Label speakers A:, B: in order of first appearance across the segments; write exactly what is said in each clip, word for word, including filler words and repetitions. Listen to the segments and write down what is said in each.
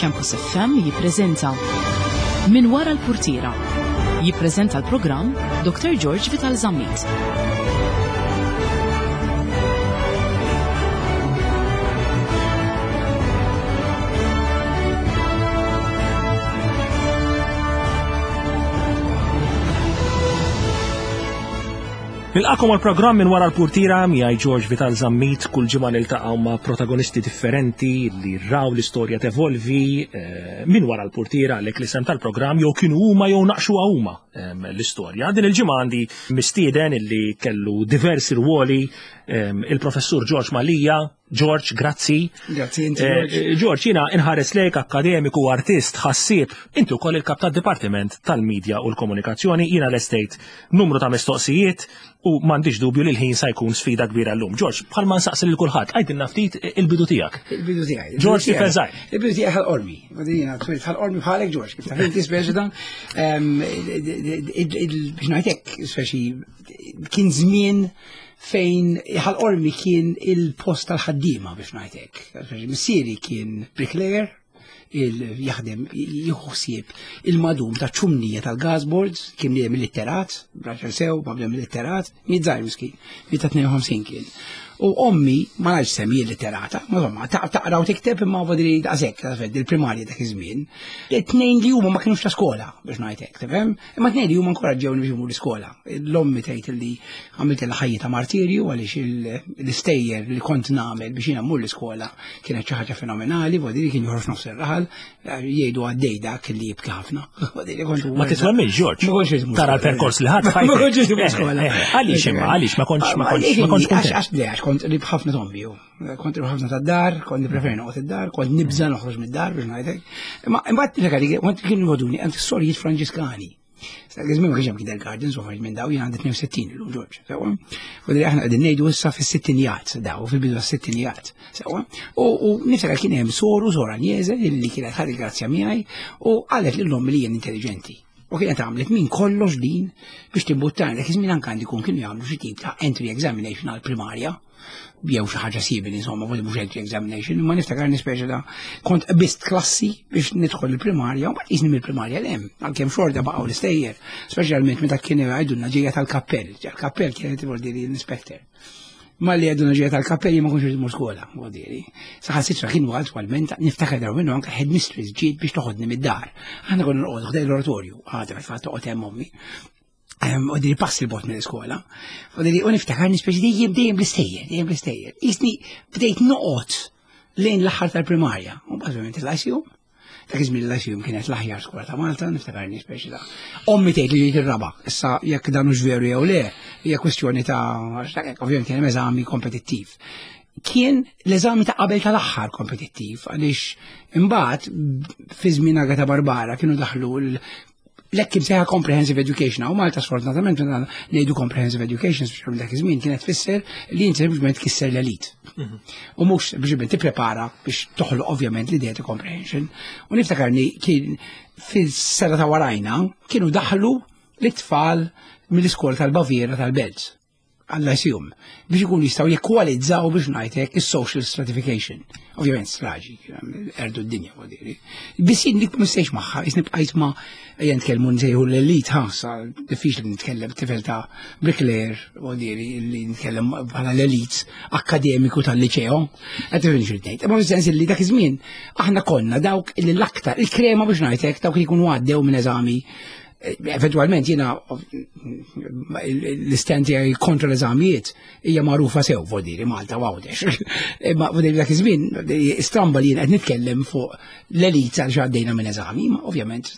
A: Campus F M jippreżenta Min Wara l-Purtiera. Jippreżenta l-programm Doctor George Vital Zammit.
B: Nilqakom għal-programm Minn Wara l-Purtiera miegħi George Vital Zammit. Kull ġimgħa niltaqgħu ma' protagonisti differenti li raw l-istorja tevolvi eh, minn wara l-purtiera, għalhekk l-isem tal-programm, jew kienu huma jew naqxuha huma ehm, l-istorja. Din il-ġimgħa għandi mistieden illi kellu diversi rwoli, ehm, il-professur George Mallia. George, grazzi.
C: Grazzi, inti, George.
B: Eh, George, jiena inħares lejk akkademiku, artist, ħassieb, inti wkoll il-kap tad-Dipartiment tal-Media u l-Komunikazzjoni. Jiena l-estate numru ta' mistoqsijiet u m'għandix dubju li l-ħin sa jkun sfida kbira llum. George, bħalma nsaqsi lil kulħadd, għajdilna ftit il-bidu tiegħek.
C: Il-bidu tiegħi.
B: George tifel żgħir.
C: Il-bidu tiegħi ħal-qormi. Jiena twilt ħal-qormi bħalek, George, kif taf inti speċi dan. Ehm, biex ngħidlek, speċi kien żmien fejn ħal-qormi kien il-post tal-ħaddiema, biex ngħidlek. Missieri kien bricklayer, il-jaħdem, jieħu ħsieb il-madum ta' ċumnija tal-gasboards, kien bniedem illitterat, raġel sew, ma bniedem illitterat, miet żgħir miskin, miet ta' tnejn u ħamsin kien. U ommi, ma nafx semmi illitterata, ma insomma, ta-, taqra u tikteb imma vodri daqshekk, ta' il-primarja dak iż-żmien. Tnejn li huma ma kinux ta' skola, biex ngħidlek, tifhem? Imma tnejn li huma nkoraġġewni biex imur l-iskola. L-ommi tgħid li għamilt il-ħajja ta' martirju għaliex il-, l-istejjer li kont nagħmel biex jiena mmur l-iskola kienet xi ħaġa fenomenali, vodri kien joħroġ nofs ir-raħal, jgħidu għaddej dak li jibki ħafna. Vodri kont
B: Ma titwemmilx, George.
C: Ma kontx imur
B: Tara
C: skola.
B: l-perkors li ħadd
C: Ma
B: fajtek.
C: kontx imur skola.
B: Eh, eh, għaliex imma, għaliex ma kontx, ma kontx, ma kontx
C: Għax,
B: kuntent.
C: għax, le, għax kont qrib ħafna tombi, ju. Kont qrib ħafna tad-dar, kont nippreferi noqgħod id-dar, kont nibża' noħroġ mid-dar biex ngħidlek. Imma imbagħad niftakar li kont kienu jgħoduni għand is-sorijiet Franġiskani. Sa żmien ma kienx hemm kindergarten, so minn daw jien għandi tnejn u sittin illum, George, sewwa. U li aħna qegħdin ngħidu issa fis-sittinijat, daw fil-bidu tas-sittinijat, sewwa. U, u niftakar kien hemm soru, sora Agnese, li kienet ħadet grazzja miegħi u qalet lil ommi li jien intelligenti. U kienet għamlet minn kollox din biex timbuttani. Dak iż-żmien anke għandi jkun kienu jagħmlu xi tip ta' entry examination għall-primarja, jew xi ħaġa simili, insomma, forsi mhux entry examination, imma niftakar nispeċi ta' kont qbist klassi biex nidħol il-primarja, u mbagħad qisni mill-primarja l hemm, għalkemm xorta baqgħu l-istejjer, speċjalment meta kien jgħidulna ġejja tal-kappell, ġejja tal-kappell kienet vuol dire l-inspector. Ma li għeduna ġejja tal-kappell ma kontx irrid skola, vuol dire. Saħansitra kienu attwalment niftakar darba minnu anke headmistress ġiet biex toħodni mid-dar. Aħna konna noqogħdu ħdej l-oratorju, għadha fil-fatt toqgħod hemm ommi. Ehm, u diri passi l-bot mill-iskola. U diri, u niftakar nispeċi dejjem, dejjem bl-istejjer, dejjem bl-istejjer. Jisni bdejt noqgħod lejn l-aħħar tal-primarja. U mbagħad ovvjament il-Lyceum. Dak iż-żmien il-Lyceum kienet l-aħjar skola ta' Malta, niftakar nispeċi ta' ommi tgħid li ġejt ir-raba'. Issa jekk dan hux veru jew le, hija kwestjoni ta' għax dak hekk, ovvjament kien hemm eżami kompetittiv. Kien l-eżami ta' qabel tal-aħħar kompetittiv, għaliex imbagħad fi żmien Agata Barbara kienu daħlu l-, l-hekk imsejħa comprehensive education. U Malta sfortunatament meta ngħidu comprehensive education, speċjalment dak iż-żmien, kienet tfisser li inti sempliċement tkisser l-elit.
B: Mhm.
C: U mhux sempliċement tipprepara biex toħloq ovvjament l-idea ta' comprehension. U niftakarni kien fis-sena ta' warajna kienu daħlu l-itfal mill-iskola tal-Baviera tal-Belt għall-Lyceum biex ikunu jistgħu jekwalizzaw biex ngħidlek is-social stratification. Ovvjament straġi, erdu d-dinja, vuol dire. Biss jien dik mistejx magħha, jisni bqajt ma' ejja nitkellmu nsejħu l-elit, ha, sa diffiċli nitkellem tifel ta' bricklayer, vuol dire, li nitkellem bħala l-elit akkademiku tal-liċeo. Qed tifhem xi ngħid. Imma fis-sens li dak iż-żmien aħna konna dawk li l-aktar il-krema biex ngħidlek dawk li jkunu għaddew minn eżami. Eventualment jiena l-istand tiegħi kontra l-eżamijiet hija magħrufa sew, vuol dire, Malta u Għawdex. Imma vuol dire dak iż-żmien stramba li jien qed nitkellem fuq l-elit għal xi għaddejna minn eżami, ma ovvjament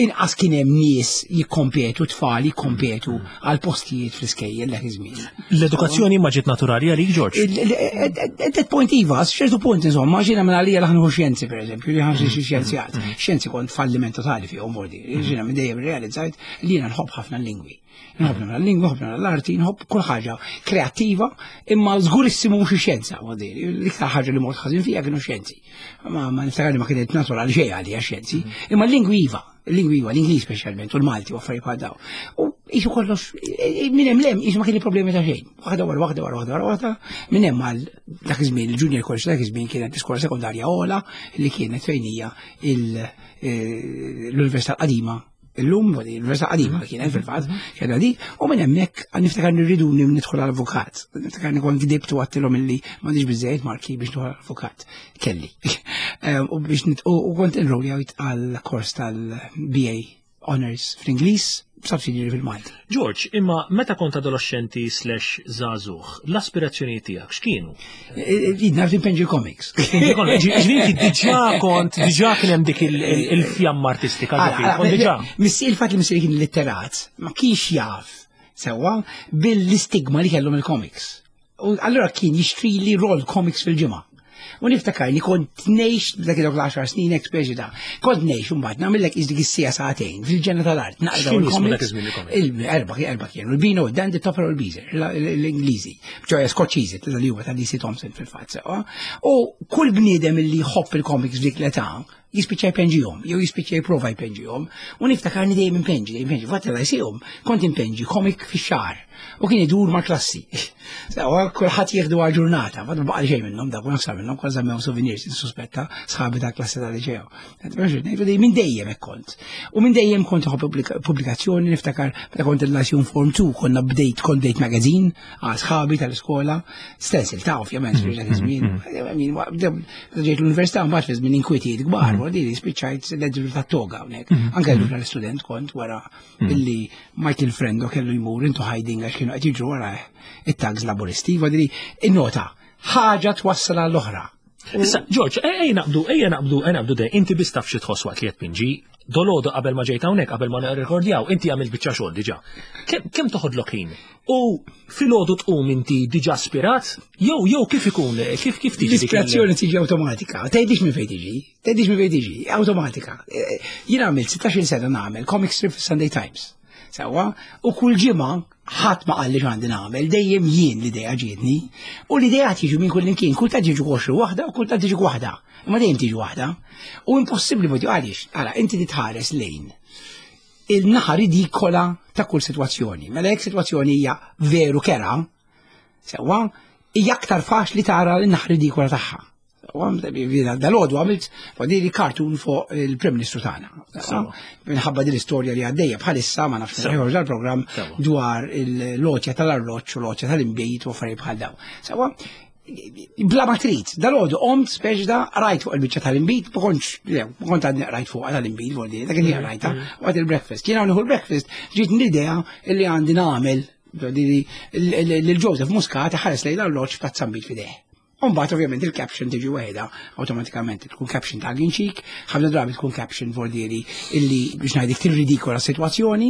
C: inqas kien hemm nies jikkompetu, tfal jikkompetu għal postijiet fl-iskejjel dak iż-żmien.
B: L-edukazzjoni ma ġiet naturali għalik, George?
C: Il-, il-, At that point iva, ċertu punt insomma, ġiena minn għalija l-ħanħu xjenzi pereżempju, li ħanxi xi xjenzjat. Xjenzi kont falliment totali fihom, vuol dire. Ġiena minn dejjem realizzajt li jiena nħobb ħafna l-lingwi. Nħobb ħafna l-lingwa, nħobb ħafna l-arti, nħobb kull ħaġa kreattiva, imma żgurissimu mhux ix-xjenza, vuol dire. L-iktar ħaġa li mort ħażin fija kienu xjenzi. Ma, ma niftakar li ma kienet naturali xejn għalija xjenzi, imma l-lingwi iva. Il-lingwi huwa l-Ingliż speċjalment u l-Malti u affarijiet bħal daw. U qisu kollox minn hemm lem qisu ma kieni problemi ta' xejn. Waħda wara waħda wara waħda wara waħda minn hemm għal dak iż-żmien il-junior college dak iż-żmien kienet l-iskola sekondarja ogħla li kienet fejn hija l-Università Qadima illum, l-Università Qadima kienet fil-fatt, kellha dik, u minn hemmhekk niftakar nirridu nidħol għall-avukat. Niftakar kont gdibt u għedtilhom illi m'għandix biżejjed marki biex nidħol għall-avukat. Kelli. U biex u kont enrolljajt għal kors tal-B A Honors fl-Ingliż, b'subsidiary fil-Malti.
B: George, imma meta kont adolescenti slash żagħżugħ, l-aspirazzjoni tiegħek x'kienu?
C: Jien naf inpenġi comics.
B: Ġifieri diġà kont, diġà kien hemm dik il-fjamma artistika ġo diġà.
C: Missi il-fatt li missieri kien litterat, ma kienx jaf sewwa bil-istigma li kellhom il-comics. U allura kien jixtri li roll comics fil-ġimgħa. U niftakar li kont ngħix dak il għaxar snin ek speċi da. Kont ngħix mbagħad nagħmellek iżdik is-sija sagħtejn fil-ġenna tal-art. Naqra
B: il-comics.
C: Il-erba' erba' kienu, il-Beano, il-Dandy, Topper u l-Beezer, l-Ingliżi. ċoè Skoċċiżi, li huwa ta' D C. Thomson fil-fatt sewwa. U kull bniedem li jħobb il-comics dik l-età jispiċċa jpenġihom, jew jispiċċa jipprova jpenġihom, u niftakarni dejjem impenġi, dejjem impenġi. Fatt l-għajsihom kont impenġi comic fix-xahar u kien idur ma' klassi. Sewa, kulħadd jieħdu għal ġurnata, fatt ma baqa' xejn minnhom, dak naħseb minnhom kważi żammew souvenirs, suspetta sħabi ta' klassi tal-liċeo. Minn dejjem hekk kont. U minn dejjem kont inħobb pubblikazzjoni, niftakar meta kont il-Lyceum Form two konna bdejt kont bdejt magazine għal sħabi tal-iskola, stencil ta' ovvjament fil dak iż-żmien. Ġejt l-università mbagħad fi żmien inkwitijiet kbar, wara li spiċċajt l-editur ta' Toga hawnhekk. Anke l tal-istudent kont wara illi Michael Frendo kellu jmur into hiding għax kienu qed jiġru wara it-thugs Laburisti, wadri innota ħaġa twassal għall-oħra.
B: Issa, George, ejja naqbdu, ejja naqbdu, ejja naqbdu de, inti biss taf xi tħoss waqt li qed tpinġi, dolodu qabel ma ġejt hawnhekk, qabel ma nirrekordjaw, inti għamilt biċċa xogħol diġà. Kemm toħodlok ħin? U filgħodu tqum inti diġà aspirat? Jew jew kif ikun, kif kif tiġi?
C: L-ispirazzjoni tiġi awtomatika. Tgħidix minn fejn tiġi, tgħidix minn fejn tiġi, awtomatika. Jien għamilt sittax-il sena nagħmel comic strip Sunday Times. Sewwa, u kull ġimgħa ħadd ma qalli x'għandi nagħmel, dejjem jien l-idea ġietni. U l-idea tiġi minn kull imkien, kultant tiġi għoxri waħda u kultant tiġi waħda. Imma dejjem tiġi waħda. U impossibbli ma għaliex, ara, inti titħares lejn il-naħa ridikola ta' kull sitwazzjoni. Mela jekk sitwazzjoni hija veru kerha, sewwa, hija aktar faċli tara l-naħa ridikola tagħha. Dal-għodu għamilt li cartoon fuq il-Prim Ministru tagħna. Minħabba din l-istorja li għaddejja bħalissa ma nafx ħorġ dal-programm dwar l-għotja tal-arloġġ u l-għotja tal-inbejt u affarijiet bħal daw. Sewwa, bla ma trid, dal-għodu qomt speċi da rajt fuq il-biċċa tal-inbid, ma kontx, ma kont għadni rajt fuq tal-inbid, vuol dak kien rajta, waqt il-breakfast. Jien hawn l-breakfast, ġiet l-idea li għandi nagħmel lil Joseph Muscat ħares lejn l-arloġġ ta' nbid f'idejh. Umbagħad ovvjament il-caption tiġi waħedha awtomatikament, tkun caption ta' ginċik, ħafna drabi tkun caption vordieri illi biex ngħidlek tirridikola s-sitwazzjoni.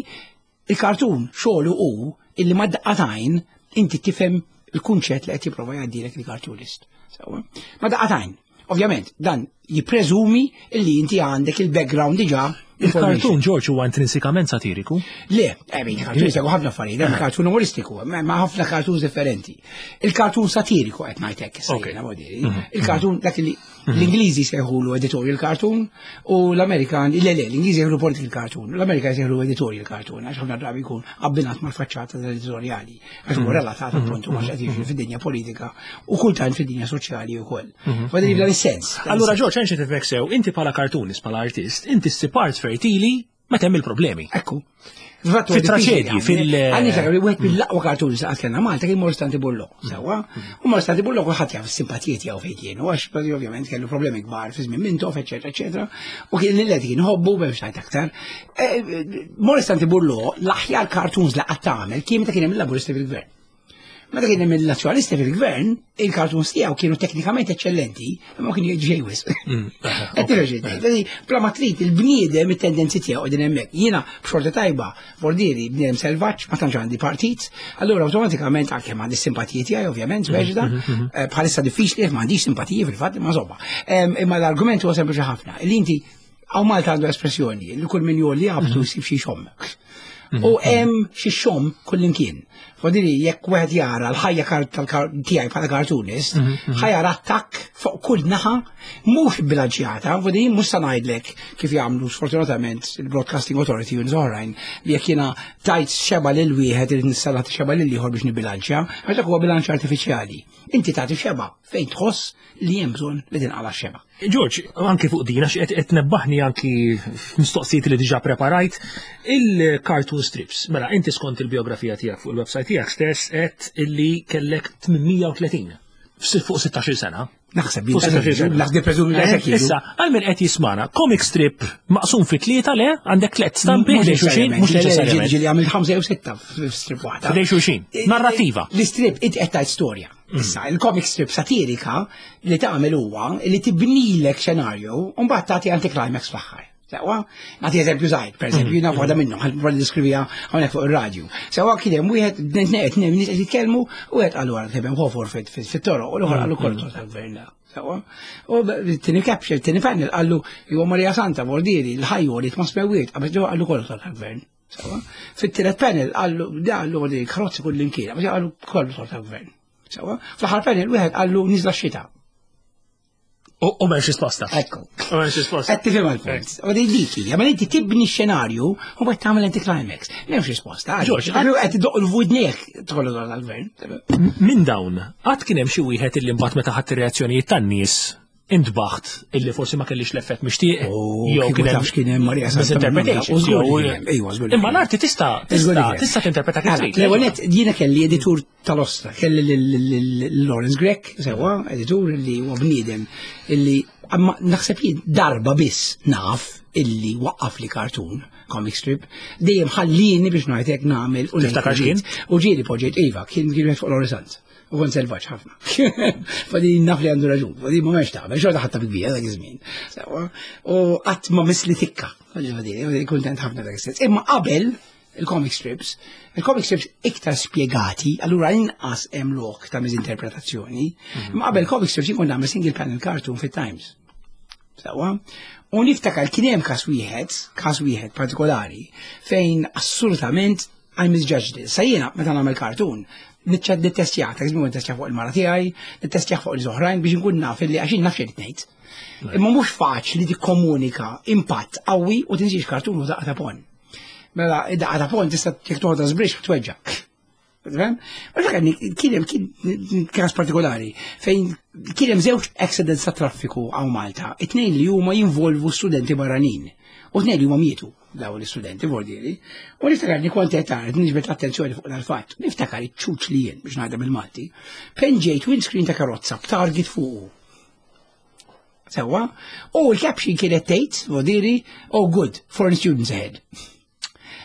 C: Il-kartun xogħlu hu illi ma daqqatajn inti tifhem il-kunċett li qed jipprova jgħaddilek il-cartoonist. Ma daqqatajn. Ovvjament, dan jippreżumi illi inti għandek il-background diġà.
B: Il-kartun, George, huwa intrinsikament satiriku?
C: Le, eh, il-kartun jsegwu ħafna affarijiet, hemm kartun umoristiku, ma ħafna kartun differenti. Il-kartun satiriku qed ngħid hekk issa. Mhm. Il-kartun dak li mhm. l-Ingliżi sejħulu editorial cartoon u l-Amerikan, le le, l-Ingliżi sejħulu political cartoon, l-Amerikan sejħulu editorial cartoon, għax ħafna drabi jkun abbinat mal-faċċata tal-editoriali, għax huwa mhm. relatat appuntu ma' x'qed jiġri fid-dinja politika u kultant fid-dinja soċjali wkoll. Fadili dan is-sens.
B: Allura George, għanxi tifhmek sew, inti bħala cartoonist, bħala artist, inti ssib art fertili meta hemm il-problemi.
C: Ekku.
B: Fit-traċedji, fil-
C: Għandi ta' li wieħed mill-aqwa cartoons li kellna Malta kien Morris Tanti Bullo, sewwa. U Morris Tanti Bullo kulħadd jaf is-simpatijiet tiegħu fejn kienu, għax ovvjament kellu problemi kbar fi żmien Mintoff, eċetera, eċetera. U kien li kien ħobbu biex ngħid aktar. Eh, Morris Tanti Bullo l-aħjar cartoons li qatt tagħmel kien meta kien hemm il-Laburisti fil-gvern. Meta kien hemm il-Nazzjonalisti fil-gvern, il-cartoons tiegħu kienu teknikament eċċellenti, imma kien jgħid wisq. Mm. Bla ma trid il-bniedem it-tendenzi tiegħu qegħdin hemmhekk. Jiena b'xorta tajba, vordieri bniedem selvaġġ, ma tantx għandi partit, allura awtomatikament għalkemm għandi simpatiji tiegħi ovvjament, speċi mm, mm, eh, bħalissa diffiċli m'għandix simpatiji fil-fatt imma żobba. Imma l-argument huwa sempliċi ħafna. Li inti hawn Malta għandu espressjoni li kull min jolli għabtu jsib xi xomm. U hemm xi xomm kullimkien. Fodili, jekk wieħed jara l-ħajja tiegħi bħala cartoonist, mhm, mhm. ħa jara attakk fuq kull naħa mhux bilanċjata, fodili mhux sa ngħidlek kif jagħmlu sfortunatament il-Broadcasting Authority u oħrajn li jekk jiena tajt xeba lil wieħed irid nista' xeba lil ieħor biex nibilanċja, għax dak huwa bilanċ artifiċjali. Inti tagħti xeba fejn tħoss li hemm bżonn li tinqala xeba.
B: George, anki fuq din, għax qed nebbaħni anki mistoqsijiet li diġà preparajt, il-cartoon strips. Mela, inti skont il-biografija tiegħek fuq il-website tiegħek stess qed illi kellek tmien mija u tletin fuq sittax-il sena.
C: Naħseb, naħseb preżumi li
B: eh, Issa, għal min qed jismana, comic strip maqsum fi tlieta, le, għandek tliet stampi ħdejn xulxin,
C: mhux neċessarjament. Ġieli għamil ħamsa jew sitta f'strip waħda.
B: Ħdejn xulxin. Narrativa.
C: L-strip int qed tgħid storja. Mm. Issa, il-comic strip satirika li tagħmel huwa li tibnilek xenarju u mbagħad tagħti anticlimax fl-aħħar. Sewa, nagħti eżempju żgħir, per eżempju, jiena waħda minnhom, ħalli niskrivija hawnhekk fuq ir-radju. Sewa, kien hemm wieħed tnejn nies qed jitkellmu u wieħed qalu għara tebem ħofor fit-toroq u l-oħra qalu kollu tal-gvern. Sewa. U tieni caption, tieni panel qallu huwa Marija Santa Bordieri, l-ħajju li ma smewwiet, qabel qallu kollu tal-gvern. Sewa. Fit-tielet panel qallu qallu li karozzi kull imkien, qallu kollu tal-gvern. Sewa. Fl-aħħar panel wieħed qallu niżla xita.
B: U m'hemmx risposta.
C: Ekku.
B: U m'hemmx risposta.
C: Qed tifhem għal-punt. U di dik hija, ma inti tibni xenarju u mbagħad tagħmel anticlimax. M'hemmx risposta.
B: George,
C: qed iddoq l-wudnek tkollu dal-gvern.
B: Minn dawn, qatt kien hemm xi wieħed illi mbagħad meta ħadd ir-reazzjonijiet tan-nies intbaħt illi forsi ma kellix l-effett mixtieq?
C: Oh, jew kien hemm kien hemm Marija
B: misinterpretation.
C: Ejwa, żgur.
B: Imma l-arti tista' tista' tista' tinterpreta kif trid.
C: L-ewwel nett jiena kelli editur tal-ostra, kelli lil Lawrence Grech, sewa, editur li huwa bniedem illi amma naħseb jien darba biss naf illi waqqaf li cartoon, comic strip, dejjem ħallini biex ngħidlek nagħmel
B: u Tiftakar x'kien?
C: U ġieli poġġejt, iva, kien kien fuq l-Orisant. U kont selvaġġ ħafna. Fadi naf li għandu raġun, fadi ma mex tagħmel, xorta ħatta bil-bija dak iż-żmien. Sewa, u qatt ma misli tikka. Fadi kontent ħafna dak is-sens. Imma qabel il-comic strips, il-comic strips iktar spiegati, allura inqas hemm lok ta' miżinterpretazzjoni. Imma qabel comic strips jkun nagħmel single panel cartoon fit-Times. Sewa. U niftakar kien hemm każ wieħed, każ wieħed partikolari, fejn assolutament I misjudged it. Sa jiena meta nagħmel cartoon, niċċad nittestjah, ta' nittestjah fuq il-mara tiegħi, nittestjah fuq l-oħrajn biex nkun naf illi għax naf xejn ngħid. Imma mhux faċli tikkomunika impatt qawwi u tinsiex cartoon u daqqa ta' ponn. Mela, id-daqqa ta' ponn tista' jekk toħodha żbrix tweġġa. Fhem? U dak kien hemm kien każ partikolari fejn kien hemm żewġ accidents ta' traffiku hawn Malta, it-tnejn li huma jinvolvu studenti barranin. U tnejn li huma mietu dawn l-istudenti vordieri. U niftakar li kont qed tara niġbed attenzjoni fuq dal-fatt. Niftakar iċ-ċuċ li jien biex ngħidha bil-Malti. Penġejt windscreen ta' karozza b'target fuqu. Sewa, u l-caption kienet tgħid, vordieri, "Oh good, foreign students ahead."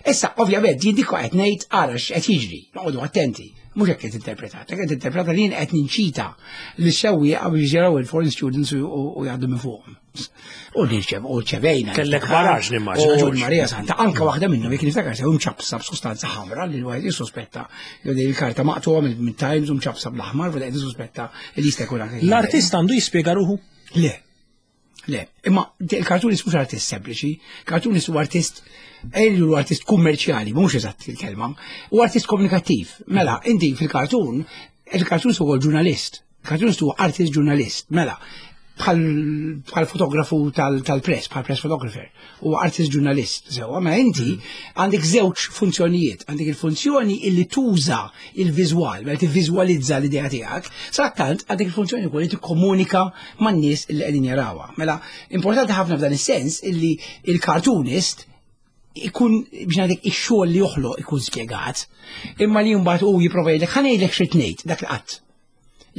C: Issa, ovvjament, jien dik qed ngħid ara x'qed jiġri, noqogħdu attenti. Mhux hekk qed interpretat, qed interpreta li jien qed ninċita li sewwieqa biex jaraw il-foreign students u u jgħaddu minn fuqhom. U nirċev, u rċevejna.
B: Kellek baraġ nimmaġina,
C: U
B: George.
C: Marija Santa, anka waħda minnhom jekk niftakar sew mċapsa b'sustanza ħamra li l-wieħed jissospetta jew din il-karta maqtuha minn Times u mċapsa bl-aħmar, u qed jissospetta li jista' jkun anke.
B: L-artist għandu jispjega ruħu?
C: Le. Le, imma il-cartoonist mhux artist sempliċi, cartoonist huwa artist ejlu huwa artist kummerċjali, mhux eżatt il-kelma, u artist komunikattiv. Mela, inti fil-cartoon, il-cartoonist huwa ġurnalist, il-cartoonist huwa artist ġurnalist. Mela, bħal bħal fotografu tal-press, bħal press photographer, u artist ġurnalist. Sewa, ma inti għandek żewġ funzjonijiet, għandek il-funzjoni illi tuża il-viżwal, mela tivviżwalizza l-idea tiegħek, sadattant għandek il-funzjoni wkoll li tikkomunika man-nies illi qegħdin jarawha. Mela, importanti ħafna f'dan is-sens illi il-cartoonist ikun biex ngħidlek ix-xogħol li joħloq ikun spjegat, imma li mbagħad hu jipprova jgħidlek ħa ngħidlek xi tnejn dak li qatt.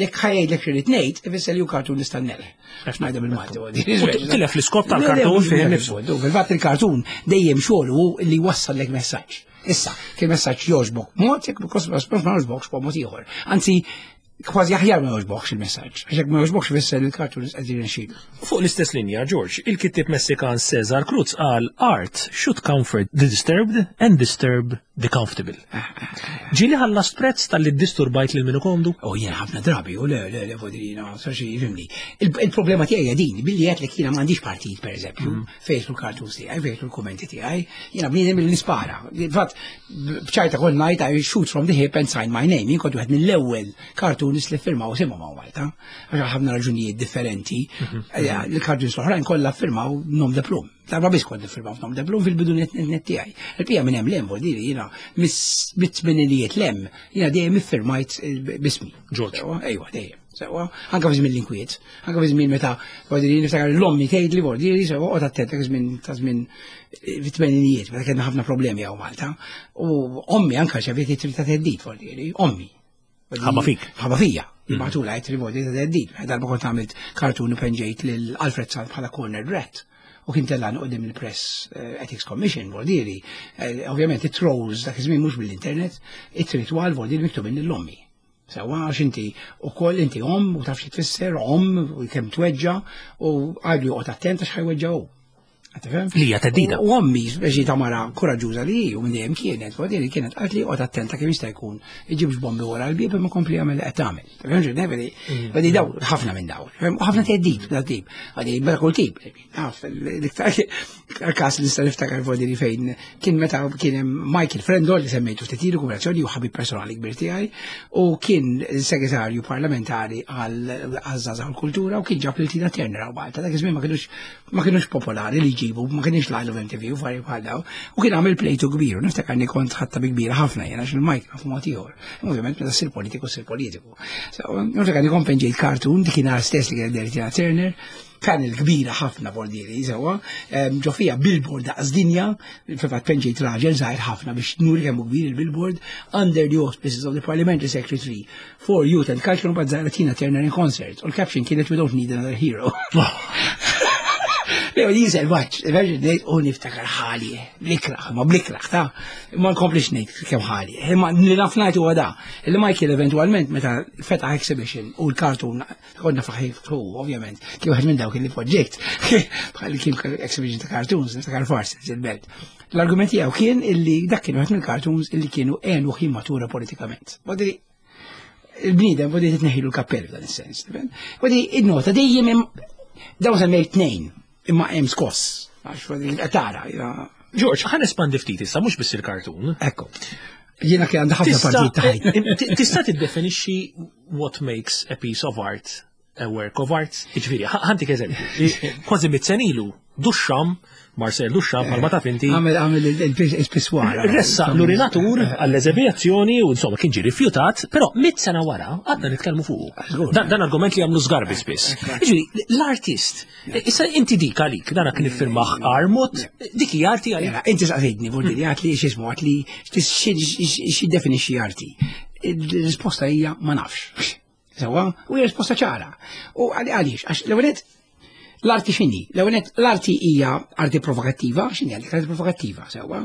C: Jekk ħa jgħidlek xi tnejn, ifisser li hu cartoonist tan-nelħ. Għax ngħidha bil-Malti.
B: Tilef l-iskop tal-cartoon fih nifsu.
C: Fil-fatt il-cartoon dejjem xogħol hu li wassallek messaġġ. Issa, kien messaġġ jogħġbok mod, jekk ma jogħġbokx b'mod ieħor. Anzi, kważi aħjar ma jogħġbokx il-messaġġ. Għax jekk ma jogħġbokx ifisser li l-cartoon qed jirnexxielu.
B: Fuq l-istess linja, George, il-kittib Messikan Cesar Cruz qal, "Art should comfort the disturbed and disturb The comfortable. Ġieli ħallast prezz talli disturbajt lil min hu komdu?
C: U jiena ħafna drabi, u le, le, le, vodrina, saxi, fhimni. Il-problema tiegħi hija din, billi għedt li jiena m'għandix partit, per eżempju, fejn l-cartoons tiegħi, fejn l-kummenti tiegħi, jiena bniedem li nispara. Fatt, bċajta kol ngħid, "I shoot from the hip and sign my name." Jien kont wieħed mill-ewwel cartoonist li firmaw isimhom hawn Malta. Għax ħafna raġunijiet differenti. Il-cartoons l-oħrajn kollha firmaw nom de plume. Darba biss kont firmaw nom de plume fil-bidu net net tiegħi. Il-pija minn hemm 'l hemm, vuol jiena mit-tmeninijiet 'l hemm, jiena dejjem iffirmajt bismi.
B: George.
C: Ejwa, dejjem. Sewwa, anka fi żmien l-inkwiet, anka fi żmien meta vuol niftakar l-ommi tgħidli vuol sewwa qgħod attent żmien ta' żmien fit-tmeninijiet, meta kellna ħafna problemi hawn Malta. U ommi anka rċeviet ittri ta' theddid vuol ommi.
B: Ħabba fik.
C: Ħabba fija. Jibagħtulha ittri vuol ta' theddid. Darba kont għamilt cartoon u penġejt lil Alfred Sant bħala corner rat u kien tellan qudiem il-Press Ethics Commission, vuol Ovvjament, it-trolls dak iż-żmien mhux bil-internet, ittri twal vuol miktubin lill-ommi. Sewwa, għax inti u koll inti om u taf xi tfisser om u kemm tweġġa u għadu joqgħod attent għax ħa jweġġa hu.
B: Li hija theddida.
C: U ommi, speċi ta' mara koraġġuża li u minn dejjem kienet, vuol kienet qalt li oqgħod attenta kemm jista' jkun iġibx bombi wara l-bieb imma kompli jagħmel li qed tagħmel. Tifhem Vedi daw ħafna minn daw. U ħafna theddid da tip. Għadi bela kull tip. Naf, l-iktar każ li nista' niftakar vuol fejn kien meta kien hemm Michael Frendo li semmejtu ftit ilu kumulazzjoni u ħabib personali kbir tiegħi u kien segretarju parlamentari għal żgħażagħ u kultura u kien ġab lil Tina Turner hawn Malta. Dak iż-żmien ma kienux ma kienux popolari li jġibu, ma kienx l of M T V u affarijiet bħal daw. U kien għamil plejtu kbir, u niftakarni kont ħadtha bi kbira ħafna jena għax il-Mike nafu mod ieħor. Ovvjament meta ssir politiku ssir politiku. Niftakarni kont penġejt cartoon dik kien stess li kien Tina Turner, kan il-kbira ħafna vuol dire, sewwa, ġo fija billboard daqs dinja, fil-fatt penġejt raġel żgħir ħafna biex nuri kemm kbir il-billboard, "Under the auspices of the Parliamentary Secretary for Youth and Culture", u mbagħad Tina Turner in concert. U l-caption kienet "We don't need another hero." Le, di selvaġġ, ngħid u niftakar ħali, blikraħ, ma blikraħ, ta' ma nkomplix ngħid kemm ħali. Imma li naf ngħid huwa da, li Michael eventualment meta fetaħ exhibition u l-cartoon konna faħi hu, ovvjament, kien wieħed minn dawk li poġġejt, bħal kien exhibition ta' cartoons, niftakar farsi, il-belt. L-argument tiegħu kien illi dak kien wieħed mill-cartoons illi kienu għenu matura politikament. Bodri, il-bniedem bodi titneħilu l-kappell f'dan is-sens. Bodi, id-nota dejjem dawn semmejt tnejn imma hemm skoss. Għax tara.
B: George, ħa nespandi ftit issa mhux biss il-kartun.
C: Ekku. Jiena kien għandha ħafna partijiet ta'
B: ħajti. Tista' tiddefinixxi what makes a piece of art a work of art? Jiġifieri, ħa ntik eżempju. Kważi mitt sena ilu, Duchamp, Marcel Duchamp, bħalma taf inti.
C: Għamel għamel il-pissoir.
B: Ressaq l-urinatur għall-eżebijazzjoni u insomma kien ġi rifjutat, però mitt sena wara għadna nitkellmu fuq. Dan argument li għamlu Sgarbi spiss. Jiġifieri, l-artist, issa inti dik għalik, dan kien iffirmah Armut, dik hija arti għalik.
C: Inti saqsejtni, vuol dire, għedtli x'ismu, għedtli x'jiddefinixxi arti. Il-risposta hija ma nafx. Sewwa, u hija risposta ċara. U għaliex, għax l-ewwel l-arti x'inhi? L-ewwel l-arti hija arti provokattiva, x'inhi għalik arti provokattiva, sewwa?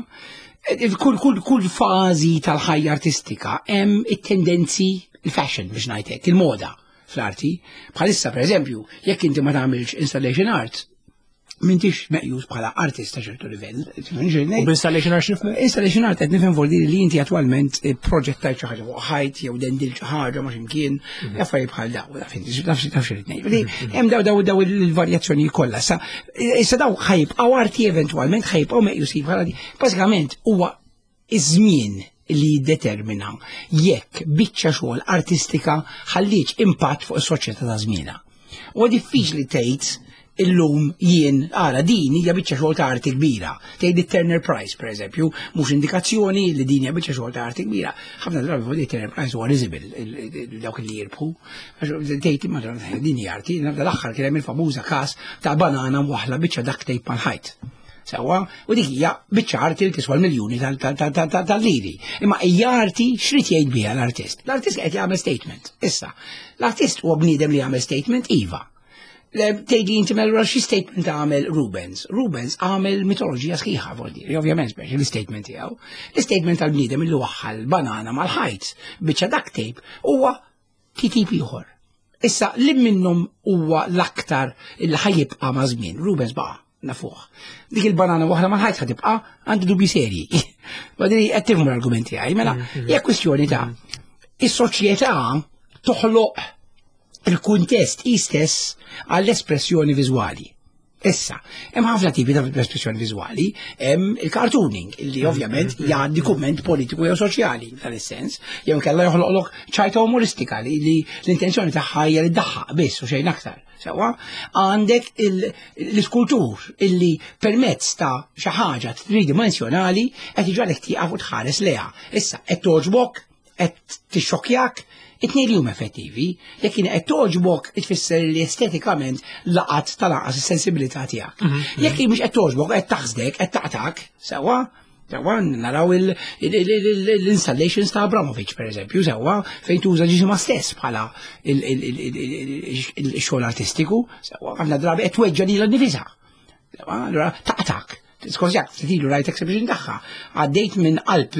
C: Kull kull kull fażi tal-ħajja artistika hemm it-tendenzi, il-fashion biex ngħidlek, il-moda fl-arti. Bħalissa, per eżempju, jekk inti ma tagħmilx installation art, m'intix meqjus bħala artist ta' ċertu livell.
B: U b'installation art x'nifhmu?
C: Installation art qed nifhem vuol dire li inti attwalment proġettajt xi ħaġa fuq ħajt jew dendil xi ħaġa ma x'imkien, mhm. affarijiet bħal daw, taf taf xi ngħid. Mhm. Hemm daw daw daw il-varjazzjoni kollha. Sa issa daw ħa jibqgħu arti eventwalment, ħa jibqgħu meqjusin bħala bażikament huwa iż-żmien li jiddetermina jekk biċċa xogħol artistika ħallietx impatt fuq is-soċjetà ta' żmienha. U diffiċli tgħid illum jien ara din hija biċċa xogħol ta' arti kbira. Tgħid it-Turner Prize, per eżempju, mhux indikazzjoni li din hija biċċa xogħol ta' arti kbira. Ħafna drabi fuq Turner Prize huwa risible dawk li jirbħu. Tgħid imma din hija arti, l-aħħar kien hemm il-famuża każ ta' banana mwaħla biċċa duct tape mal-ħajt. Sewwa, u dik hija biċċa arti li tiswa l-miljuni tal-liri. Imma hija arti x'rid jgħid biha l-artist? L-artist qed jagħmel statement. Issa, l-artist huwa bniedem li jagħmel statement, iva. Tgħidli inti mela xi statement għamel Rubens? Rubens għamel mitoloġija sħiħa, vuol dire, ovvjament speċi l-statement tiegħu. L-statement tal-bniedem li waħħal banana mal-ħajt biċċa duct tape huwa titip ieħor. Issa li minnhom huwa l-aktar il ħa jibqa' ma' żmien? Rubens baqa' nafuh. Dik il-banana waħla mal-ħajt ħa tibqa', għandi dubi serji. Badri qed tifhmu l-argumenti għaj, mela hija kwistjoni ta' is-soċjetà toħloq il-kuntest istess għall-espressjoni viżwali. Issa, hemm ħafna tipi ta' espressjoni viżwali, hemm il-cartooning, illi ovvjament jgħaddi kumment politiku jew soċjali f'dan is-sens, jew kellha joħloqlok ċajta umoristika li li l-intenzjoni tagħha hija li ddaħħaq biss u xejn aktar. Sewwa, għandek l-iskultur illi permezz ta' xi ħaġa tridimensjonali qed iġagħlek tieqaf u tħares lejha. Issa qed toġbok, qed tixxokjak, it-tnejn li huma effettivi, jekk kien qed toġbok tfisser li estetikament laqat tal-anqas is-sensibilità tiegħek. Jekk mhux qed toġbok qed taħsdek, qed taqtak, sewwa, sewwa naraw l-installations ta' Abramovic per eżempju, sewwa fejn tuża ġisimha stess bħala il-xogħol artistiku, sewwa ħafna drabi qed tweġġa' lilha nnifisha. Allura taqtak. Skont ftit ilu rajt exhibition tagħha. Għaddejt minn qalb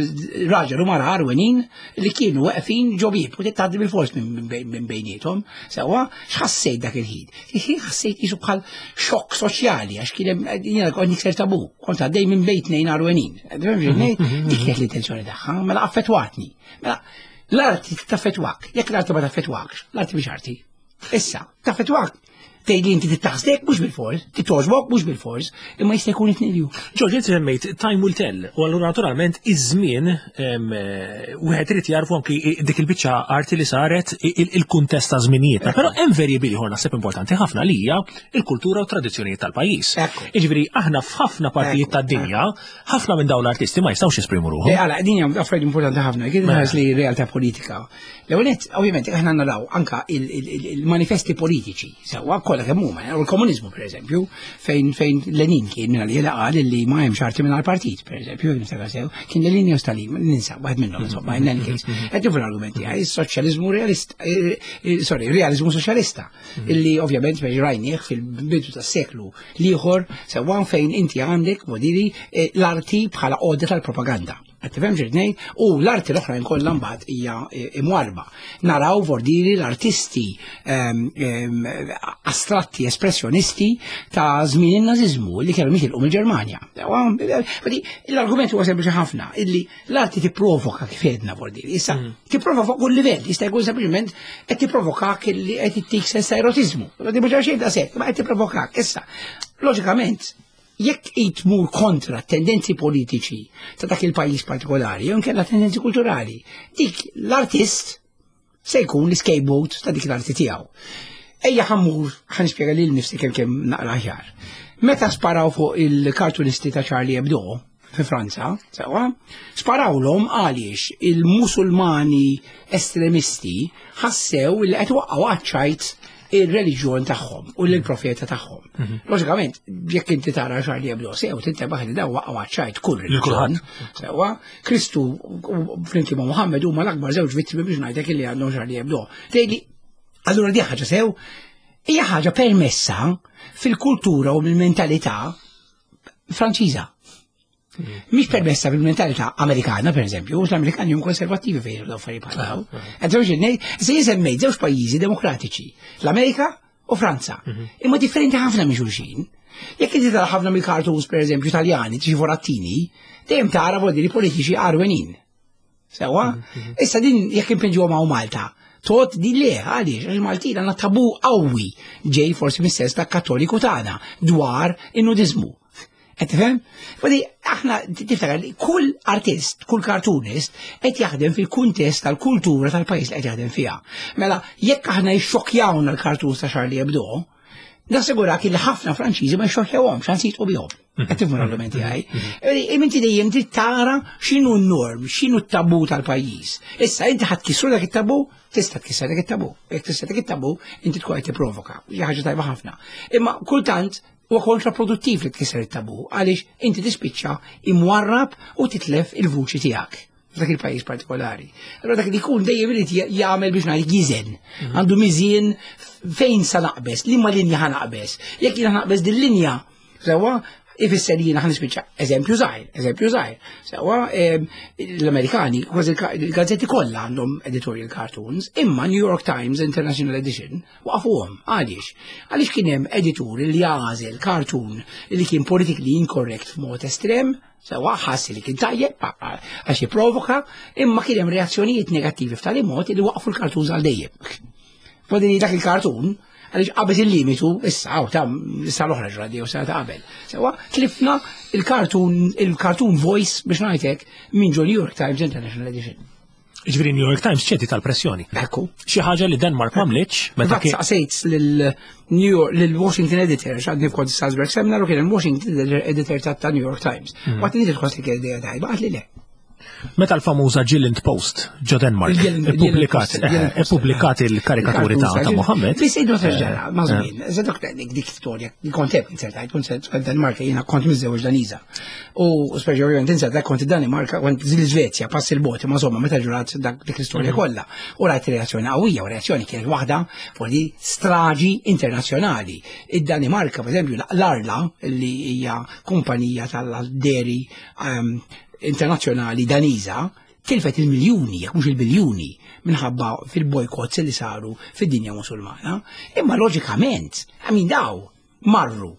C: raġel u mara għarwenin li kienu weqfin ġo bieb u tgħaddi bil-fors minn bejniethom. Sewwa, x'ħassejt dak il-ħin? Il-ħin ħassejt jisu bħal xokk soċjali għax kien hemm jiena kont nikser tabu, kont għaddej minn bejn tnejn għarwenin. Dik kienet l-intenzjoni tagħha, mela affettwatni. Mela l-arti taffettwak, jekk l-arti ma taffettwakx, l-arti mhix arti. Issa, taffettwak tgħidli inti titaħsdek mhux bil-fors, titoġbok mhux bil-fors, imma jista' jkun it-tnejn.
B: George, inti semmejt time will tell, u allura naturalment iż-żmien wieħed irid jarfu anki dik il-biċċa arti li saret il-kuntest ta' żminijietna, però hemm variabili ieħor naħseb importanti ħafna li hija il-kultura u tradizzjonijiet tal-pajjiż. Jiġifieri aħna f'ħafna partijiet tad-dinja, ħafna minn dawn l-artisti ma jistgħux jesprimu ruħhom.
C: Għala, din hija affarijiet importanti ħafna, kien ħares li realtà politika. L-ewwel nett, ovvjament, aħna naraw anka il-manifesti politiċi, sewwa kollha kemm huma, u l-komuniżmu pereżempju, fejn fejn Lenin kien minn għalija qal li ma hemmx arti minn partit, pereżempju, niftakar sew, kien Lenin jew Stalin, ninsa waħed minnhom insomma, in any case. Qed tifhem l-argumenti għaj, is-soċjaliżmu realist, sorry, realizmu soċjalista, illi ovvjament biex rajnieh fil-bidu tas-seklu l-ieħor sewwa fejn inti għandek modili l-arti bħala għodda tal-propaganda. Qed tifhem x'irrid ngħid? U l-arti l-oħra kollha mbagħad hija imwarba. Naraw vordiri l-artisti astratti espressjonisti ta' żmien in-nażiżmu li kienu jitilqu mill-Ġermanja. L-argument huwa sempliċi ħafna illi l-arti tipprovoka kif għedna vordiri. Issa tipprovoka fuq kull livell, jista' jkun sempliċement qed tipprovokak illi qed ittik sens ta' erotiżmu. Mhux xejn ta' sekk, ma qed tipprovokak. Issa, loġikament, jekk tmur kontra tendenzi politiċi ta' dak il-pajjiż partikolari, jew inkella tendenzi kulturali, dik l-artist se jkun l-scapegoat ta' dik l-arti tiegħu. Ejja ħa mmur, ħa nispjega lil nifsi kemm kemm naqra aħjar. Meta sparaw fuq il-kartunisti ta' Charlie Hebdo fi Franza, sewwa, sparawlhom għaliex il-Musulmani estremisti ħassew li qed waqqgħu għaċ-ċajt il-reliġjon tagħhom u l-profeta tagħhom. Loġikament, jekk inti tara Charlie Hebdo sew tintebaħ li daw waqgħu għaċ-ċajt kull reliġjon. Sewwa, Kristu flimkien ma' Muhammed huma l-akbar żewġ vittmi biex ngħidlek li għandhom Charlie Hebdo. Tgħidli, allura di ħaġa sew, hija ħaġa permessa fil-kultura u mill-mentalità Franċiża. Mhix permessa fil-mentalità Amerikana, per eżempju, l-Amerikani hum konservattivi fejn daw affarijiet bħal daw. Se jisemmejt żewġ pajjiżi demokratiċi, l-Amerika u Franza. Imma differenti ħafna minn xulxin. Jekk inti tara ħafna mill-cartoons, per eżempju, Italjani, xi forattini, dejjem tara vodili politiċi għarwenin. Sewwa? Issa din jekk impinġuha ma' Malta, tot di le, għaliex, għax Maltin għandna tabu qawwi ġej forsi mis-sens ta' kattoliku tagħna dwar in-nudizmu. Qed tifhem? Fadi aħna tiftakar li kull artist, kull cartoonist qed jaħdem fil-kuntest tal-kultura tal-pajjiż li qed jaħdem fiha. Mela jekk aħna jxokkjawna l-cartoons ta' Charlie Hebdo, nassigurak li ħafna Franċiżi ma jxokkjawhomx, anzi jitqu bihom. Qed tifhmu l-argumenti għaj. Inti dejjem trid tara x'inhu n-norm, x'inhu t-tabu tal-pajjiż. Issa inti ħadd kisru dak it-tabu, tista' tkisser dak it-tabu. Jekk tista' dak it-tabu, inti tkun qed tipprovoka. Hija ħaġa tajba ħafna. Imma kultant huwa kontraproduttiv li tkisser it-tabu għaliex inti tispiċċa imwarrab u titlef il-vuċi tiegħek f'dak il-pajjiż partikolari. Allora dak li jkun dejjem irid jagħmel biex ngħid jiżen. Għandu miżien fejn sa naqbeż, liema linja ħa naqbeż. Jekk jiena naqbeż din linja, sewwa Ifisser li jiena ħa nispiċċa eżempju żgħir, eżempju żgħir. Sewwa, l-Amerikani kważi il-gazzetti kollha għandhom editorial cartoons, imma New York Times International Edition waqfuhom. Għaliex? Għaliex kien hemm editur li għażel cartoon li kien politically incorrect f'mod estrem, sewwa, ħassi li kien tajjeb għax jipprovoka, imma kien hemm reazzjonijiet negattivi f'tali mod li waqfu l-cartoons għal dejjem. Fadili dak il-cartoon, għaliex qabeż il-limitu, issa, għaw, ta' issa l-oħra ġradi, u sena ta' qabel. Sewwa, tlifna il-cartoon, il-cartoon voice, biex ngħidlek, minn ġo New York Times International Edition.
B: Ġifieri New York Times ċediet tal-pressjoni.
C: Ekku.
B: Xi ħaġa li Denmark m'għamlitx meta
C: kien. Saqsejt lil New York, lil Washington editor, x'għadni f'kont Salzburg Seminar u kien il-Washington editor ta' New York Times. Waqt li tħoss li kien idea tajba, qal li le.
B: Meta l-famuża Jylland Post ġo Denmark ippubblikat ippubblikat il-karikaturi ta' ta' Mohammed.
C: Biss idu terġara, ma' żmien, dak dik dik storja, kont hemm insertajt, kont Denmarka, jiena kont miżżewġ Daniża. U speċi ovvjament insertajt kont Danimarka, kont l-Iżvezja, pass il-boti, ma insomma meta ġurat dik l-istorja kollha. U rajt reazzjoni qawwija, u reazzjoni kienet waħda fuq di straġi internazzjonali. Id-Danimarka, per eżempju, l-Arla, li hija kumpanija tal-dairy internazzjonali Daniża, tilfet il-miljuni, jekk mhux il-biljuni, minħabba fil-bojkotts li saru fid-dinja Musulmana. Imma loġikament, għamin daw marru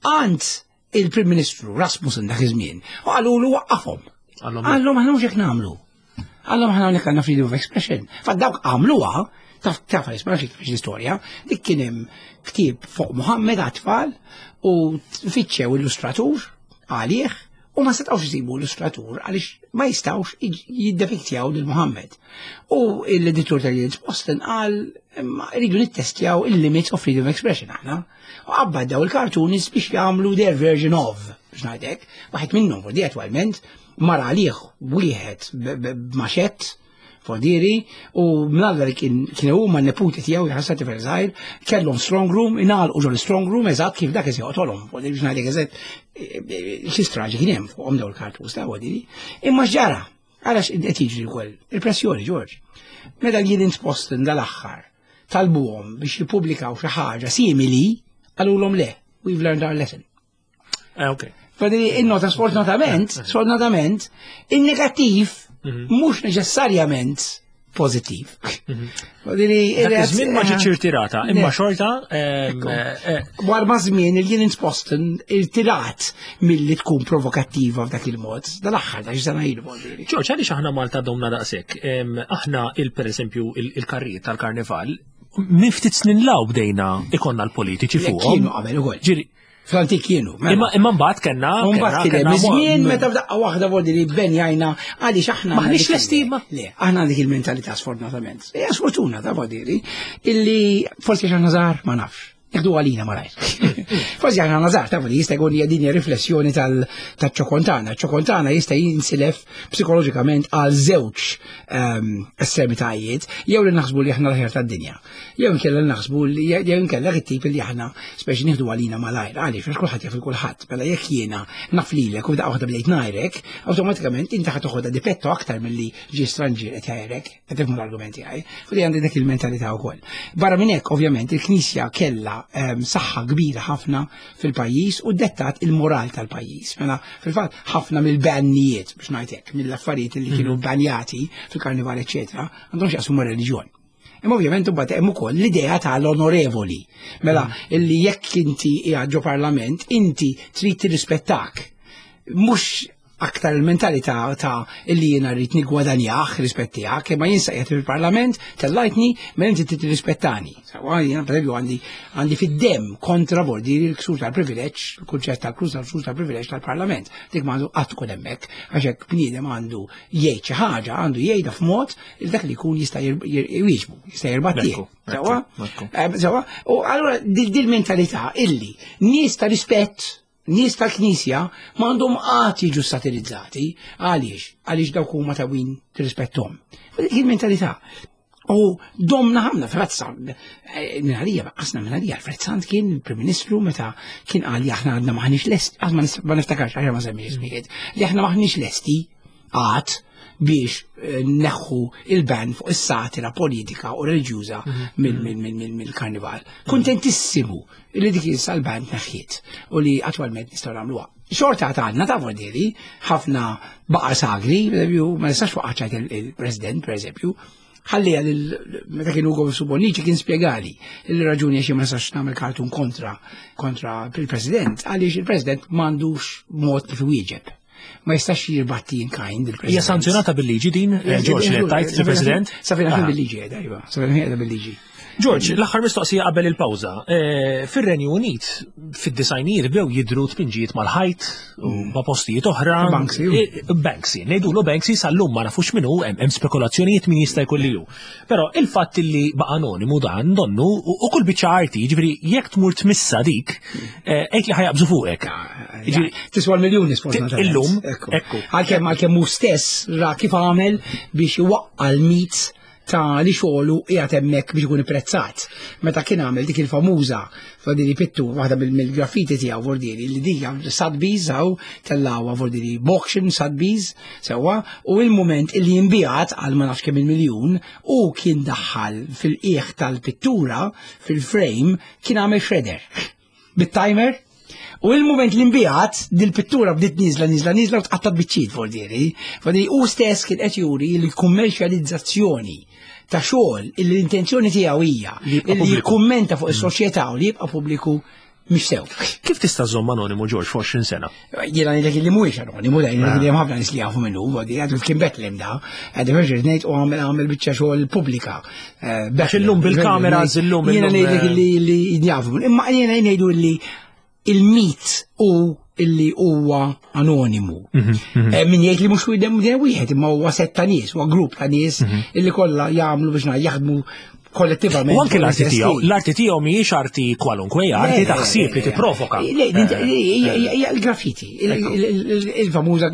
C: għand il-Prim Ministru Rasmussen dak iż-żmien u qalulu waqqafhom. Qalhom aħna mhux hekk nagħmlu. Qalhom aħna hawnhekk għandna freedom of expression. Fa dawk għamluha, taf taf ma nafx l-istorja, dik kien hemm ktieb fuq Muhammed għat-tfal u fittxew illustratur għalih u ma setgħux jisibu illustratur għaliex ma jistgħux jiddepiktjaw lil Muhammed. U l-editur tal-Posten qal rridu nittestjaw il-limits of freedom of expression aħna. U qabbad daw il-cartoonists biex jagħmlu their version of, biex ngħidlek, waħed minnhom fordi attwalment mar għalih wieħed b'maxett fodiri u mnalla li kien huma n-neputi tiegħu jħassati tifel żgħir, kellhom strong room, ingħalqu ġol strong room eżatt kif dak joqtolhom. Biex ngħidlek eżatt xi straġi kien hemm fuqhom dawn il-cartoons ta' fodiri. Imma x'ġara? Għalax qed jiġri wkoll il-pressjoni, George. Meta l-Jyllands Posten dal-aħħar talbuhom biex jippubblikaw xi ħaġa simili, qalulhom le, we've learned our lesson.
B: Eh, ok.
C: Fadili, il-nota sfortunatament, sfortunatament, il-negattiv mhux neċessarjament pozittiv.
B: Fadili, Dak iż-żmien ma ġietx irtirata, imma xorta ehm, eh,
C: War ma żmien il-Jyllands Posten irtirat milli tkun provokattiva f'dak il-mod. Dal-aħħar ta' xi sena ilu fadili.
B: George, għaliex aħna Malta domna daqshekk? Em, Aħna il per eżempju il-karrijiet tal-karnival, minn ftit snin law bdejna ikonna l-politiċi fuqhom.
C: Kienu qabel ukoll.
B: Ġiri,
C: Fl-antik kienu. mela.
B: imma imma mbagħad kellna
C: Mbagħad kien hemm żmien meta f'daqqa waħda vordi li benjajna għaliex aħna
B: Maħniex
C: għandna dik
B: lesti,
C: il-
B: ma-
C: Le, aħna dik il-mentalità sfortunatament. Hija sfortuna ta' vodiri illi forsi aħna żgħar ma nafx. Jekdu għalina malajr. Forsi aħna żgħar ta' jista' jkun hija din hija riflessjoni tal-ċokontana. ċokontana jista' jinsilef psikoloġikament għal żewġ ehm, estremitajiet, jew li naħsbu li aħna l-ħer tad-dinja. Jew inkella naħsbu li jew inkella it-tip li aħna speċi nieħdu għalina malajr. Għaliex għax kulħadd jaf il kulħadd. Mela jekk jiena naf lilek u daqqa waħda bdejt ngħajrek, awtomatikament inti ħa toħodha dipetto aktar milli ġie stranġier qed jgħajrek, qed tifhmu l-argumenti għaj. Fu li għandi dik il-mentalità wkoll. Barra minn hekk ovvjament il-Knisja kellha ehm, saħħa kbira ħafna fil-pajjiż u dettat il-moral tal-pajjiż. Mela fil-fatt ħafna mill-bannijiet biex ngħid hekk, mill-affarijiet li kienu banjati fil-karnival eċetera, għandhom x'jaqsmu mar-reliġjon. Imma ovvjament imbagħad hemm ukoll l-idea tal-onorevoli. Mela illi jekk inti qiegħed ġo parlament, inti trid tirrispettak. Mhux aktar il-mentalità ta' illi jiena rrid nigwadanjah rispett tiegħek, imma jien qiegħed fil-parlament tellajtni mela inti trid tirrispettani. Sewwa jiena pereżempju għandi għandi fid-dem kontra vordi l-ksur tal-privileġġ, il-kunċett tal-ksur tal-ksur tal-privileġġ tal-parlament. Dik ma għandu qatt tkun hemmhekk, għax hekk bniedem għandu jgħid xi ħaġa, għandu jgħidha f'mod il dak li jkun jista' jwieġbu, jista' jirbattih.
B: Ekku,
C: Sewwa?
B: ekku.
C: Eh, Sewwa? U allura dil-mentalità illi nies ta' rispett, nies tal-Knisja m'għandhom qatt jiġu satirizzati. Għaliex? Għaliex dawk huma ta' win tirrispettom. Dik il-mentalità. U domna ħafna Frazza, minn għalija, qasna minn għalija, Alfred Sant kien il-Prim Ministru meta kien qal li aħna għadna maħniex lesti, għad ma niftakarx għax ma semmi ismijiet, li aħna maħniex lesti għad biex neħħu il-ban fuq is-satira politika u reliġjuża mill-karnival. Kuntentissimu li dik issa l-ban tneħħiet u li attwalment nistgħu nagħmluha. Xorta għandna ta' vorderi, ħafna baqar sagri, ma nistax waqgħet il-President, per eżempju, ħallija meta kienu Ugo Bonnici kien spjegali il-raġuni għax ma nistax nagħmel kartun kontra kontra il-President, għaliex il-President m'għandux mod kif iwieġeb. Ma jistax jirbatti in kind il-President.
B: Hija sanzjonata bil-liġi din, George, li tajt il-President?
C: Safina bil-liġi, iva, safina bil-liġi.
B: George, l-aħħar mistoqsija qabel il-pawża. Fir-Renju Unit, fid-disajnijiet bdew jidru tpinġijiet mal-ħajt u ma' postijiet oħra.
C: Banksy.
B: Banksy, ngħidulu Banksy sal-lum ma nafux minnu, hemm spekulazzjonijiet min jista' jkun li hu. Però il-fatt li baqa' anonimu dan donnu u kull biċċa arti, jiġifieri jekk tmur tmissa dik, għid li ħajaqbżu fuqek.
C: Tiswa l-miljuni sfortunatament.
B: Illum, ekku.
C: Għalkemm għalkemm hu stess ra kif għamel biex iwaqqa' l-mit ta' li xogħlu qiegħed hemmhekk biex ikun ipprezzat. Meta kien għamel dik il-famuża Vordiri pittu waħda mill-graffiti tiegħu Vordiri li dik Sotheby's hawn tellgħuha Vordiri auction Sotheby's sewwa, u il-mument illi jinbiegħat għal ma nafx kemm il-miljun u kien daħħal fil-qiegħ tal-pittura fil-frame kien għamel shredder bit-timer. U il-moment li nbiegħat dil-pittura bdiet niżla niżla niżla u tqattat biċċiet Vordiri. Vordiri u stess kien qed juri l-kummerċjalizzazzjoni ta' xogħol illi l-intenzjoni tiegħu hija
B: Li jibqa'
C: illi
B: pubbliku.
C: jikkummenta fuq is-soċjetà u li jibqa' pubbliku mhix sew.
B: Kif tista' żomm anonimu George f'għoxrin sena?
C: Jiena ngħidlek illi mhuwiex anonimu, da jien li hemm ħafna nies li jafu minnu, Vordiri, għadu kien Bethlehem da, għadu Virgil ngħid u għamel għamel biċċa xogħol pubblika.
B: Għax illum bil-kameras, illum
C: Jiena
B: illum,
C: ngħidlek illi li jafu minnu. Imma jiena ngħidu illi il-mit u illi huwa anonimu. Min jgħid li mhux wieħed wieħed, imma huwa sett ta' nies, huwa grupp ta' nies illi kollha jagħmlu biex jaħdmu kollettivament.
B: U anke l-arti tiegħu, l-arti tiegħu mhijiex arti kwalunkwe, hija arti ta' ħsieb li tipprovoka.
C: Hija l-graffiti, il-famuża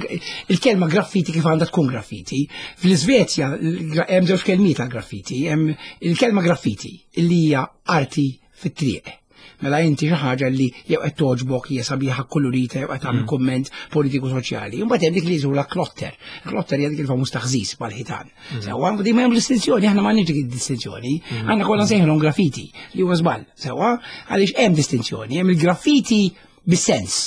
C: il-kelma graffiti kif għandha tkun graffiti. Fl-Iżvezja hemm żewġ kelmiet għall-graffiti, hemm il-kelma graffiti illi hija arti fit-triq. Mela inti xi ħaġa li jew qed toġbok hija sabiħa kolorita jew qed tagħmel kumment politiku soċjali. Imbagħad hemm dik li jżula klotter. Klotter hija dik il-famuż taħżiż mal-ħitan. Sewwa dik ma hemm distinzjoni, aħna m'għandniex dik id-distinzjoni. Aħna kollha nsejħulhom graffiti li huwa żball. Sewwa għaliex hemm distinzjoni, hemm il-graffiti bis-sens,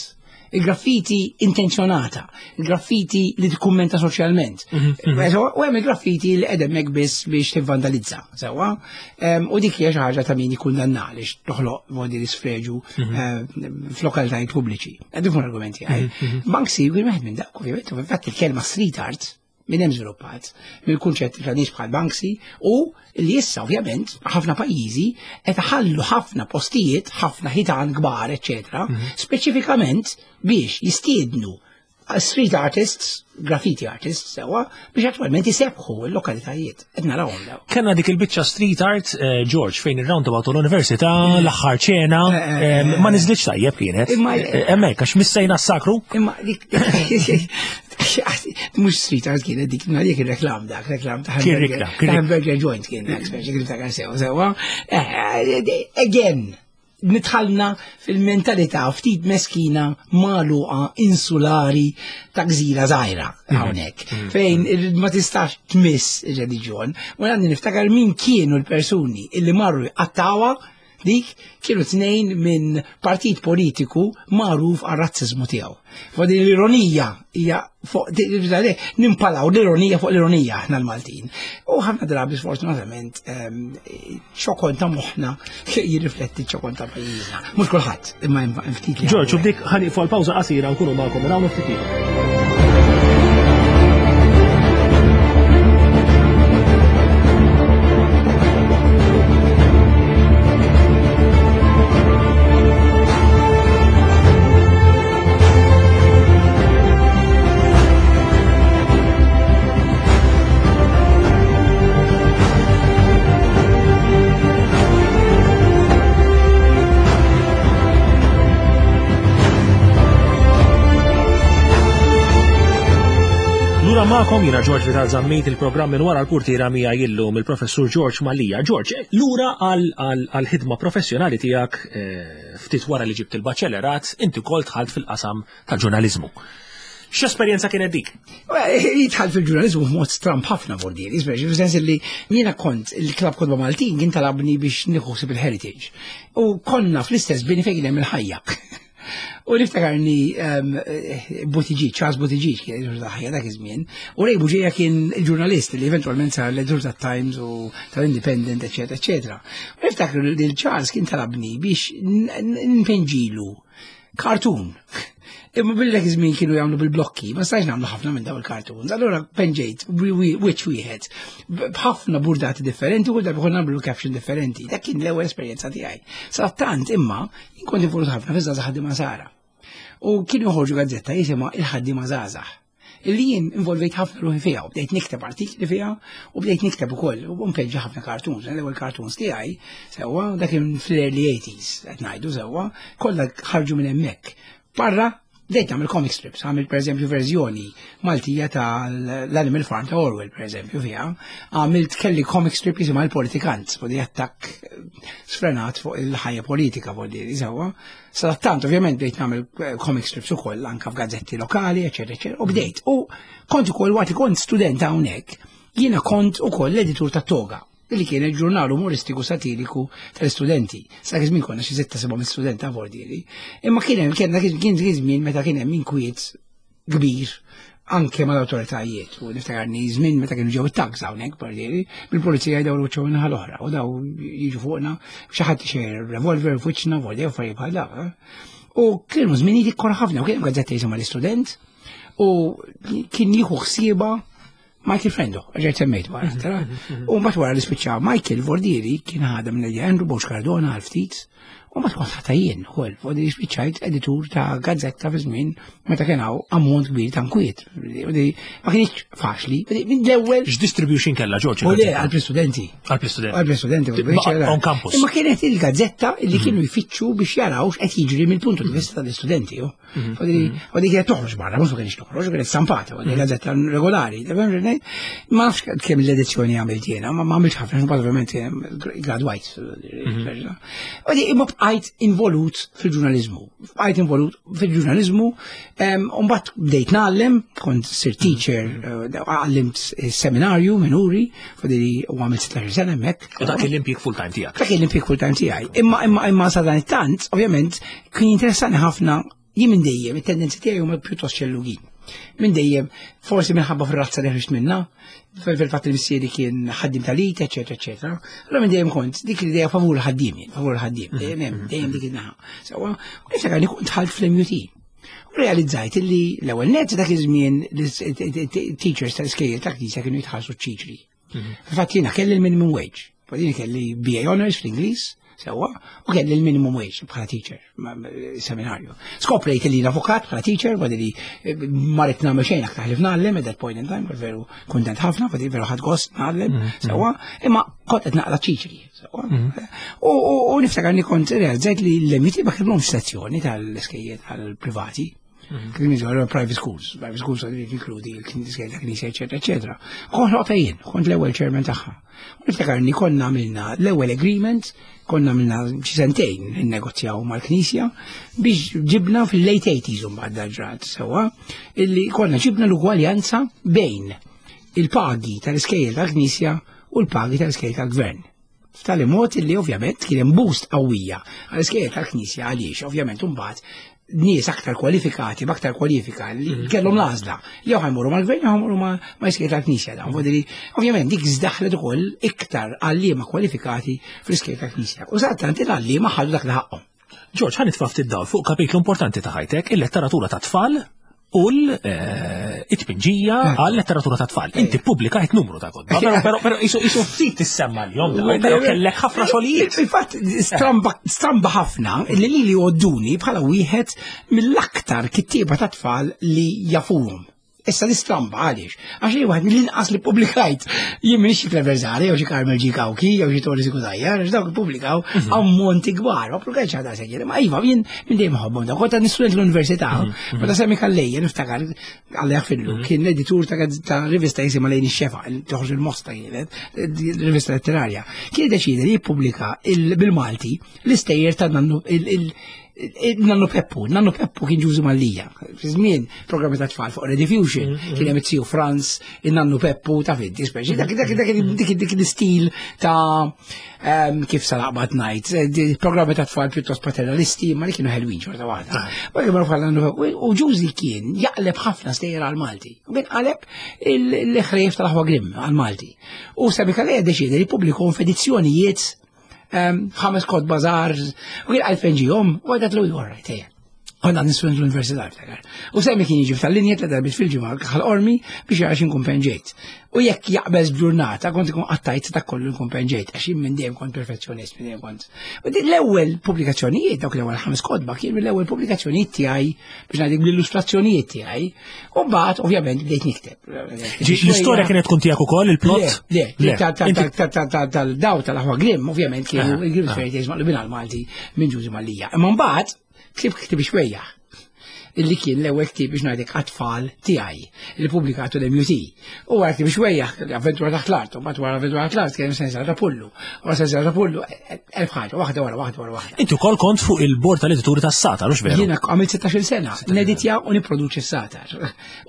C: il-graffiti intenzjonata, il-graffiti li tikkummenta soċjalment. U hemm il-graffiti li qed hemmhekk biss biex tivvandalizza, sewwa. U dik hija xi ħaġa ta' min jikkundanna għaliex toħloq modi li sfreġu f'lokalitajiet pubbliċi. Qed nifhmu l-argumenti għaj. Banksy kien wieħed minn dak, ovvjament, u infatti il-kelma street art minn hemm żviluppat mill-kunċett ta' nies bħal Banksy u li issa ovvjament ħafna pajjiżi qed iħallu ħafna postijiet, ħafna ħitan kbar, eċetera, speċifikament biex jistiednu street artists, graffiti artists, sewwa, biex attwalment isebħu l-lokalitajiet. Qed narawhom daw.
B: Kellna dik il-biċċa street art, George, fejn ir-roundabout u l-università, l-aħħar ċena, ma niżlitx tajjeb kienet. Hemmhekk għax missejna s-sakru.
C: Imma dik mhux street art kienet dik, ma dik ir-reklam dak, reklam ta' hamburger joint kien dak, speċi kif ta' sew, sewwa. Again, nidħalna fil-mentalità ftit meskina magħluqa insulari ta' gżira żgħira hawnhekk, fejn ma tistax tmiss ir-reliġjon. U għandi niftakar min kienu l-persuni illi marru jqattawha dik kienu tnejn minn partit politiku magħruf għar-razziżmu tiegħu. Fuq din l-ironija hija fuq nimpalaw l-ironija fuq l-ironija aħna l-Maltin. U ħafna drabi sfortunatament ċokon ta' moħħna jirrifletti ċokon ta' pajjiżna. Mhux kulħadd, imma hemm ftit li.
B: George, u bdik ħaniqfu għal pawża qasira nkunu magħkom minn hawn ftit ieħor. Magħkom jiena George Vital Zammit, il-programm minn wara l-purtiera miegħi illum il-Professur George Mallia. George, lura għal-ħidma professjonali tiegħek ftit wara li ġibt il-baċellerat, inti wkoll dħalt fil-qasam tal-ġurnaliżmu. X'esperjenza kienet dik?
C: Jidħol fil-ġurnalizmu b'mod stramb ħafna vordieri, speċi fis-sens li jiena kont il-Klabb Kotba Maltin kien talabni biex nieħu ħsieb il-heritage. U konna fl-istess bini fejn kien hemm il-Ħajja. U niftakarni um, Buttigieg, Charles Buttigieg kien editur ta' Ħajja dak iż-żmien, u Ray Bugeja kien il-ġurnalist li eventualment sar l-editur ta' Times u tal-Independent, eccetera, eccetera. U niftakru li Charles kien talabni biex npinġilu cartoon. Imma billi dak iż-żmien kienu jagħmlu bil-blokki, ma stajx nagħmlu ħafna minn daw il-cartoons. Allura penġejt wiċċ wieħed b'ħafna burdati differenti u kull darba konna nagħmlu caption differenti. Dak kien l-ewwel esperjenza tiegħi. Sadattant imma jien kont involut ħafna fiż-Żgħażagħ Ħaddiema Nsara. U kienu joħorġu gazzetta jisimha Il-Ħaddiema Żgħażagħ. Illi jien involvejt ħafna ruħi fiha u bdejt nikteb artikli fiha u bdejt nikteb ukoll u npenġi ħafna cartoons. L-ewwel cartoons tiegħi sewwa dak kien fl-early eighties qed ngħidu sewwa, kollha ħarġu minn hemmhekk. Barra bdejt nagħmel comic strips, għamilt pereżempju verżjoni Maltija tal-Animal Farm ta' Orwell pereżempju fiha, għamilt kelli comic strip jisimha Il-Politikant, fuq di attakk sfrenat fuq il-ħajja politika fuq di sewwa. Sadattant ovvjament bdejt nagħmel comic strips ukoll anke f'gazzetti lokali, eċetera, eċetera, u bdejt. U kont ukoll waqt li kont student hawnhekk, jiena kont ukoll l-editur ta' Toga, li kien il-ġurnal umoristiku satiriku tal-istudenti. Sa żmien konna xi sitta seba' student ta' vordieri. Imma kien hemm kien kien żmien meta kien hemm inkwiet kbir anke mal-awtoritajiet. U niftakarni żmien meta kienu ġew it-tanks hawnhekk vordieri, bil-pulizija jdawru wiċċhom in-naħa l-oħra u daw jiġu fuqna xi ħadd xejn revolver f'wiċċna vordieri affarijiet bħal dawn. U kienu żminijiet ikkora ħafna u kien hemm gazzetta jisimha L-Istudent u kien jieħu ħsieba Michael Frendo, ġejt semmejt wara, tara. U mbagħad wara li spiċċa Michael Vordieri kien ħadha minn Andrew Borg Cardona għal ftit, u mbagħad kont ħatta jien ukoll, Vordieri spiċċajt editur ta' gazzetta fi żmien meta kien hawn ammont kbir ta' nkwiet. Ma kienx faċli, minn l-ewwel.
B: X'distribution kellha, George?
C: U le, għall-istudenti.
B: Għall-istudenti.
C: Għall-istudenti,
B: On campus.
C: Imma kienet il-gazzetta li kienu jfittxu biex jaraw x'qed jiġri mill-puntu di vista tal-istudenti. U di kienet toħroġ barra, mhux ma kienx toħroġ, kienet stampata, u di gazzetta regolari. Ma nafx kemm l-edizzjoni għamilt jiena, ma għamilt ħafna, mbagħad ovvjament gradwajt. U di imma bqajt involut fil-ġurnalizmu. Bqajt involut fil-ġurnalizmu, u mbagħad bdejt ngħallem, kont sir teacher, għallimt seminarju minuri, fadili u għamilt sittax-il sena hemmhekk.
B: U dak l-impjieg full time tiegħek.
C: Dak l-impjieg full time tiegħi. Imma imma imma sa dan it-tant, ovvjament, kien interessani ħafna jien minn dejjem, it-tendenzi tiegħi huma pjuttost xellugin. Minn dejjem, forsi minħabba fir-razza li ħriġt minna, fil-fatt li missieri kien ħaddim tal-it, eċetera, eċetera. Allora minn dejjem kont dik l-idea favur ħaddiem jien, favur ħaddiem, dejjem hemm, dejjem dik in-naħa. Sewwa, u niftakar li kont dħalt fl-M U T. U realizzajt li l-ewwel net dak iż-żmien teachers tal-iskejjel ta' knisja kienu jitħallsu ċiċri. Fil-fatt jiena kelli l-minimum wage. Fadini kelli B A Honors fl-Ingliż, sewwa, u kelli l-minimum wage bħala teacher, seminarju. Skoprejt li l-avukat bħala teacher, għadi li marret nagħmel xejn aktar ħlief ngħallem at that point in time, veru kontent ħafna, għadi veru ħadt gost ngħallem, sewwa, imma kont qed naqla ċiċri, sewwa. U niftakar li kont realizzajt li l-M U T ma kellhomx sezzjoni tal-iskejjel tal-privati. Kien jiġu private schools, private schools għadu jinkludi l-iskejjel ta' knisja, eċetera, eċetera. Kont ħloqtha jien, kont l-ewwel chairman tagħha. U niftakar li konna għamilna l-ewwel agreement, konna għamilna xi sentejn innegozjaw mal-knisja biex ġibna fil-late eighties u mbagħad ġrat sewwa, illi konna ġibna l-ugwaljanza bejn il-pagi tal-iskejjel tal-knisja u l-pagi tal-iskejjel tal-gvern. F'tali mod illi ovvjament kien hemm boost qawwija għall-iskejjel tal-knisja għaliex ovvjament imbagħad nies aktar kwalifikati, b'aktar kwalifika li
B: Mhm.
C: kellhom l-għażla. Jew ħajmorru mal-gvern jew ħajmorru ma' ma' iskejjel tal-knisja dawn. Vuol dire, ovvjament dik żdaħlet ukoll iktar għalliema kwalifikati fl-iskejjel tal-knisja. U sadattant il-għalliema ħadu dak li ħaqhom.
B: George, ħa nitfa' ftit dawl fuq kapitlu importanti ta' ħajtek, il-letteratura ta' tfal u l-itpinġija għal letteratura ta' tfal. Inti pubblikajt numru ta' kotba, però, però, però isu isu ftit tissemma l-jom, però kellek ħafna xogħlijiet.
C: Infatti, stramba, stramba ħafna li li li għodduni bħala wieħed mill-aktar kittieba ta' tfal li jafuhom. Issa li stramba għaliex? Għax li wieħed mill-inqas li publikajt jien m'iniex xi Clever Zahra jew xi Carmel G. Cauchi jew xi Tony Cutajar, għax dawk ippubblikaw ammonti kbar, ma pubblikajt xi ħadd sejjer, ma iva jien minn dejjem ħobbhom dawk. Kont għandi student l-università, meta Sammy Calleja niftakar Alla jaghfirlu, kien l-editur ta' ta' rivista jisimha Lejn ix-Xefaq, li toħroġ il-Mosta kienet, rivista letterarja. Kien deċida li jippubblika il- bil-Malti l-istejjer ta' nannu il- il- Nannu Peppu, Nannu Peppu kien Ġużi Mallia. Fi żmien programmi ta' tfal fuq Rediffusion, kien hemm it-Tiju Franz, il-Nannu Peppu, ta' finti, speċi. Dak dak dak dik dik l-istil ta' ehm, kif sa laqbad ngħid, eh, di- programmi ta' tfal pjuttost paternalisti, ma li kienu ħelwin xorta waħda. Ma kienu bħal Nannu Peppu. U Ġużi kien jaqleb ħafna stejjer għal-Malti. U kien qaleb il-ħrejf tal-aħwa Grimm għal-Malti. U Sammy Calleja deċida li jippubblikhom f'edizzjonijiet ehm, ħames kotba żgħar, u kien għal penġihom, u għedt lu all right, ejja. Konna nistudent l-università ftakar. U Sammy kien jiġi f'tal-linja tliet darbiet fil-ġimgħa Ħal Qormi biex jara x'inkun penġejt. U jekk jaqbeż b'ġurnata kont ikun qattajt ta' kollu nkun penġejt, għax jien minn dejjem kont perfezzjonist, minn dejjem kont. U din l-ewwel pubblikazzjonijiet, dawk l-ewwel ħames kotba kienu l-ewwel pubblikazzjonijiet tiegħi biex ngħidlek bl-illustrazzjonijiet tiegħi. U mbagħad ovvjament bdejt nikteb.
B: Ġi, l-istorja kienet tkun tiegħek ukoll il-plot?
C: Le, le,
B: Inti-
C: tal-daw tal-aħwa Grimm, ovvjament kienu
B: Ah,
C: il-Grimm
B: ah.
C: Fairy Tales maqlubin għal-Malti minn Ġużi Mallia. Imma mbagħad ktibt ktieb xwejjaħ illi kien l-ewwel ktieb biex ngħidlek għat-tfal tiegħi li pubblikatu l-M U T. U wara ktieb xwejjaħ, avventura taħt l-art, u mbagħad wara avventura taħt l-art kien sensiela ta' Pullu. Wara sensiela ta' Pullu, elf ħaġa, waħda wara waħda wara waħda.
B: Inti wkoll kont fuq il-bord tal-edituri tas-Sagħtar, hux veru?
C: Jiena għamilt sittax-il sena, neditja u niproduċi s-Sagħtar.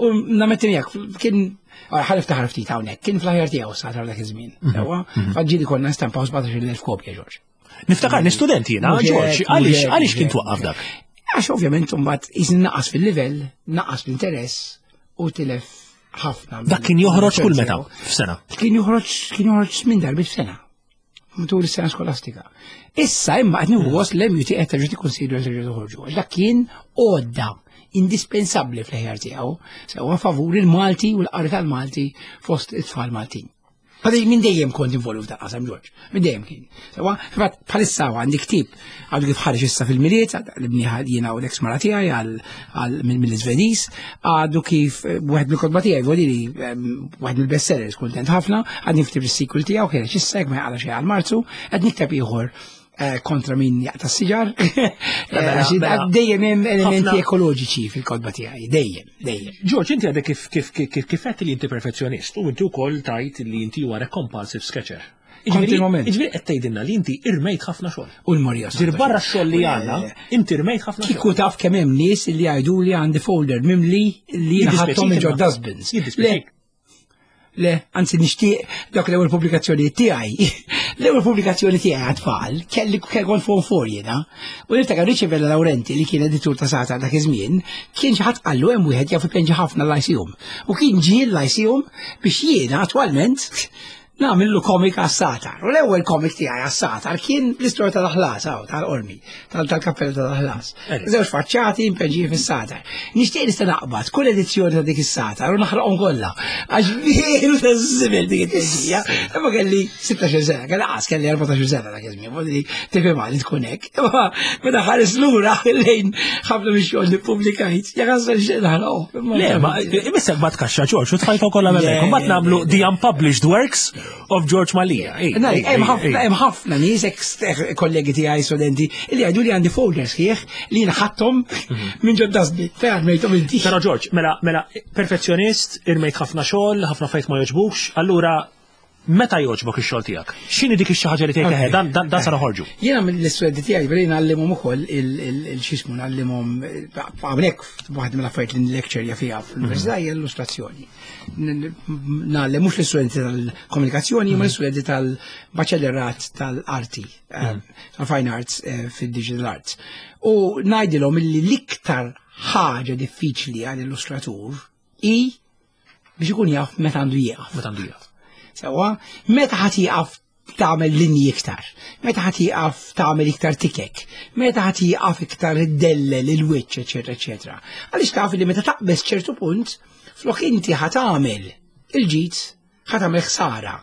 C: U nammetti miegħek, kien ħa niftaħar ftit hawnhekk, kien fl-aħjar tiegħu s-Sagħtar dak iż-żmien. Sewwa, faġġieli konna stampaw sbatax-il elf kopja, Ġorġ.
B: Niftakar student jiena,
C: Mhux
B: George,
C: hekk,
B: għaliex
C: mhux hekk,
B: għaliex kien
C: mhux
B: twaqqaf
C: hekk.
B: dak?
C: Għax ovvjament mbagħad iżin naqas fil-livell, naqas fl-interess u tilef ħafna.
B: Dak kien joħroġ kull meta f'sena.
C: Kien joħroġ kien joħroġ minn darbiet f'sena. Matul is-sena skolastika. Issa imma qed nieħu gost l-M U T qed terġa' tikkonsidra terġa' toħorġu. Għax dak kien għodda indispensabbli fl-ħjar tiegħu, sewwa favur il-Malti u l-qari tal-Malti fost it-tfal Maltin. Għadi minn dejjem kont involut f'dak qasam, George, minn dejjem kien. Sewwa, fatt bħalissa għandi ktieb għadu kif ħareġ issa fil-Milied, li bniħa jiena u l-ex mara tiegħi għal mill-Iżvediż, għadu kif eh, wieħed mill-kotba tiegħi, volili wieħed mill-bestsellers, kuntent ħafna, għadni nikteb is-sequel tiegħu, kien issa jekk ma jaqla xejn għal Marzu, qed nikteb ieħor eh, kontra min jaqta' s-siġar.
B: Mela,
C: Għax
B: mela.
C: dejjem hemm elementi
B: Ħafna-
C: ekoloġiċi fil-kotba tiegħi, dejjem, dejjem.
B: George, inti għadek kif kif kif kif kif għedt li inti perfezzjonist u inti wkoll tajt li inti huwa compulsive sketcher. Jiġifieri-
C: Kontinwament.
B: Jiġifieri qed tgħidilna li inti irmejt ħafna xogħol.
C: U l-Marija.
B: Ġir barra x-xogħol li għandna, inti irmejt ħafna
C: Kieku
B: xogħol.
C: taf kemm hemm nies li jgħidu li għandi folder mimli li jiena ħadthom minn ġod dustbins. Le,
B: Jiddispjaċik.
C: le, anzi nixtieq dak l-ewwel pubblikazzjoni tiegħi. L-ewwel pubblikazzjoni tiegħi għat-tfal kelli kelli kont form four jiena. U niftakar Richie Vella Laurenti li kien editur ta' Sagħtar dak iż-żmien, kien xi ħadd qallu hemm wieħed jaf ipenġi ħafna l-Lyceum. U kien ġie l-Lyceum biex jiena attwalment nagħmillu komik għas-Sagħtar. U l-ewwel komik tiegħi għas-Sagħtar kien l-istorja tal-aħlas, hawn, tal-Qormi, tal-kappella tal-aħlas.
B: Eri.
C: Żewġ faċċati impenġin fis-Sagħtar. Nixtieq nista' naqbad kull edizzjoni ta' dik is-Sagħtar u naħraqhom kollha. Għax veru ta' żibel dik it-tġija. Imma kelli sittax-il sena, kelli qas kelli erbatax-il sena dak iż-żmien, voldiri tifhem li tkun hekk. Imma meta ħares lura lejn ħafna mix-xogħol li ppubblikajt, jaqas xejn naħraqhom.
B: Le, ma imissek bat kaxxa George u tfajta kollha
C: Le,
B: hemmhekk. Mbagħad
C: le,
B: nagħmlu
C: le.
B: the unpublished works of George Mallia. Ej,
C: Nari,
B: ej,
C: hemm
B: ej,
C: ħafna
B: ej.
C: hemm ħafna nies ex kollegi tiegħi studenti li jgħidu li għandi folders sħiħ li jiena ħadthom minn ġod dustbin. Fejn rmejthom inti.
B: Però George, mela, mela, perfezzjonist, irmejt ħafna xogħol, ħafna fejt ma joġbux, allura meta joġbok ix-xogħol tiegħek? X'inhi dik ix-xi ħaġa li tgħid
C: Ok.
B: eħe, dan dan dan sa noħorġu.
C: Jiena mill-istudenti tiegħi bdejna ngħallimhom ukoll il-xismu ngħallimhom hawnhekk waħda mill-affarijiet li nlecture fiha fl-università hija l-illustrazzjoni. Ngħallem mhux l-istudenti tal-komunikazzjoni, ma l-istudenti tal-baċellerat tal-arti, eh, tal-fine arts eh, fid-digital arts. U ngħidilhom illi l-iktar ħaġa diffiċli għal illustratur hi biex ikun jaf meta għandu jieqaf.
B: Meta għandu jieqaf.
C: Sewwa, meta ħa tieqaf tagħmel linji iktar, meta ħa tieqaf tagħmel iktar tikek, meta ħa tieqaf iktar iddellel il-wiċċ, eċetera, eċetera. Għaliex taf li meta taqbeż ċertu punt, flok inti ħa tagħmel il-ġid, ħa tagħmel ħsara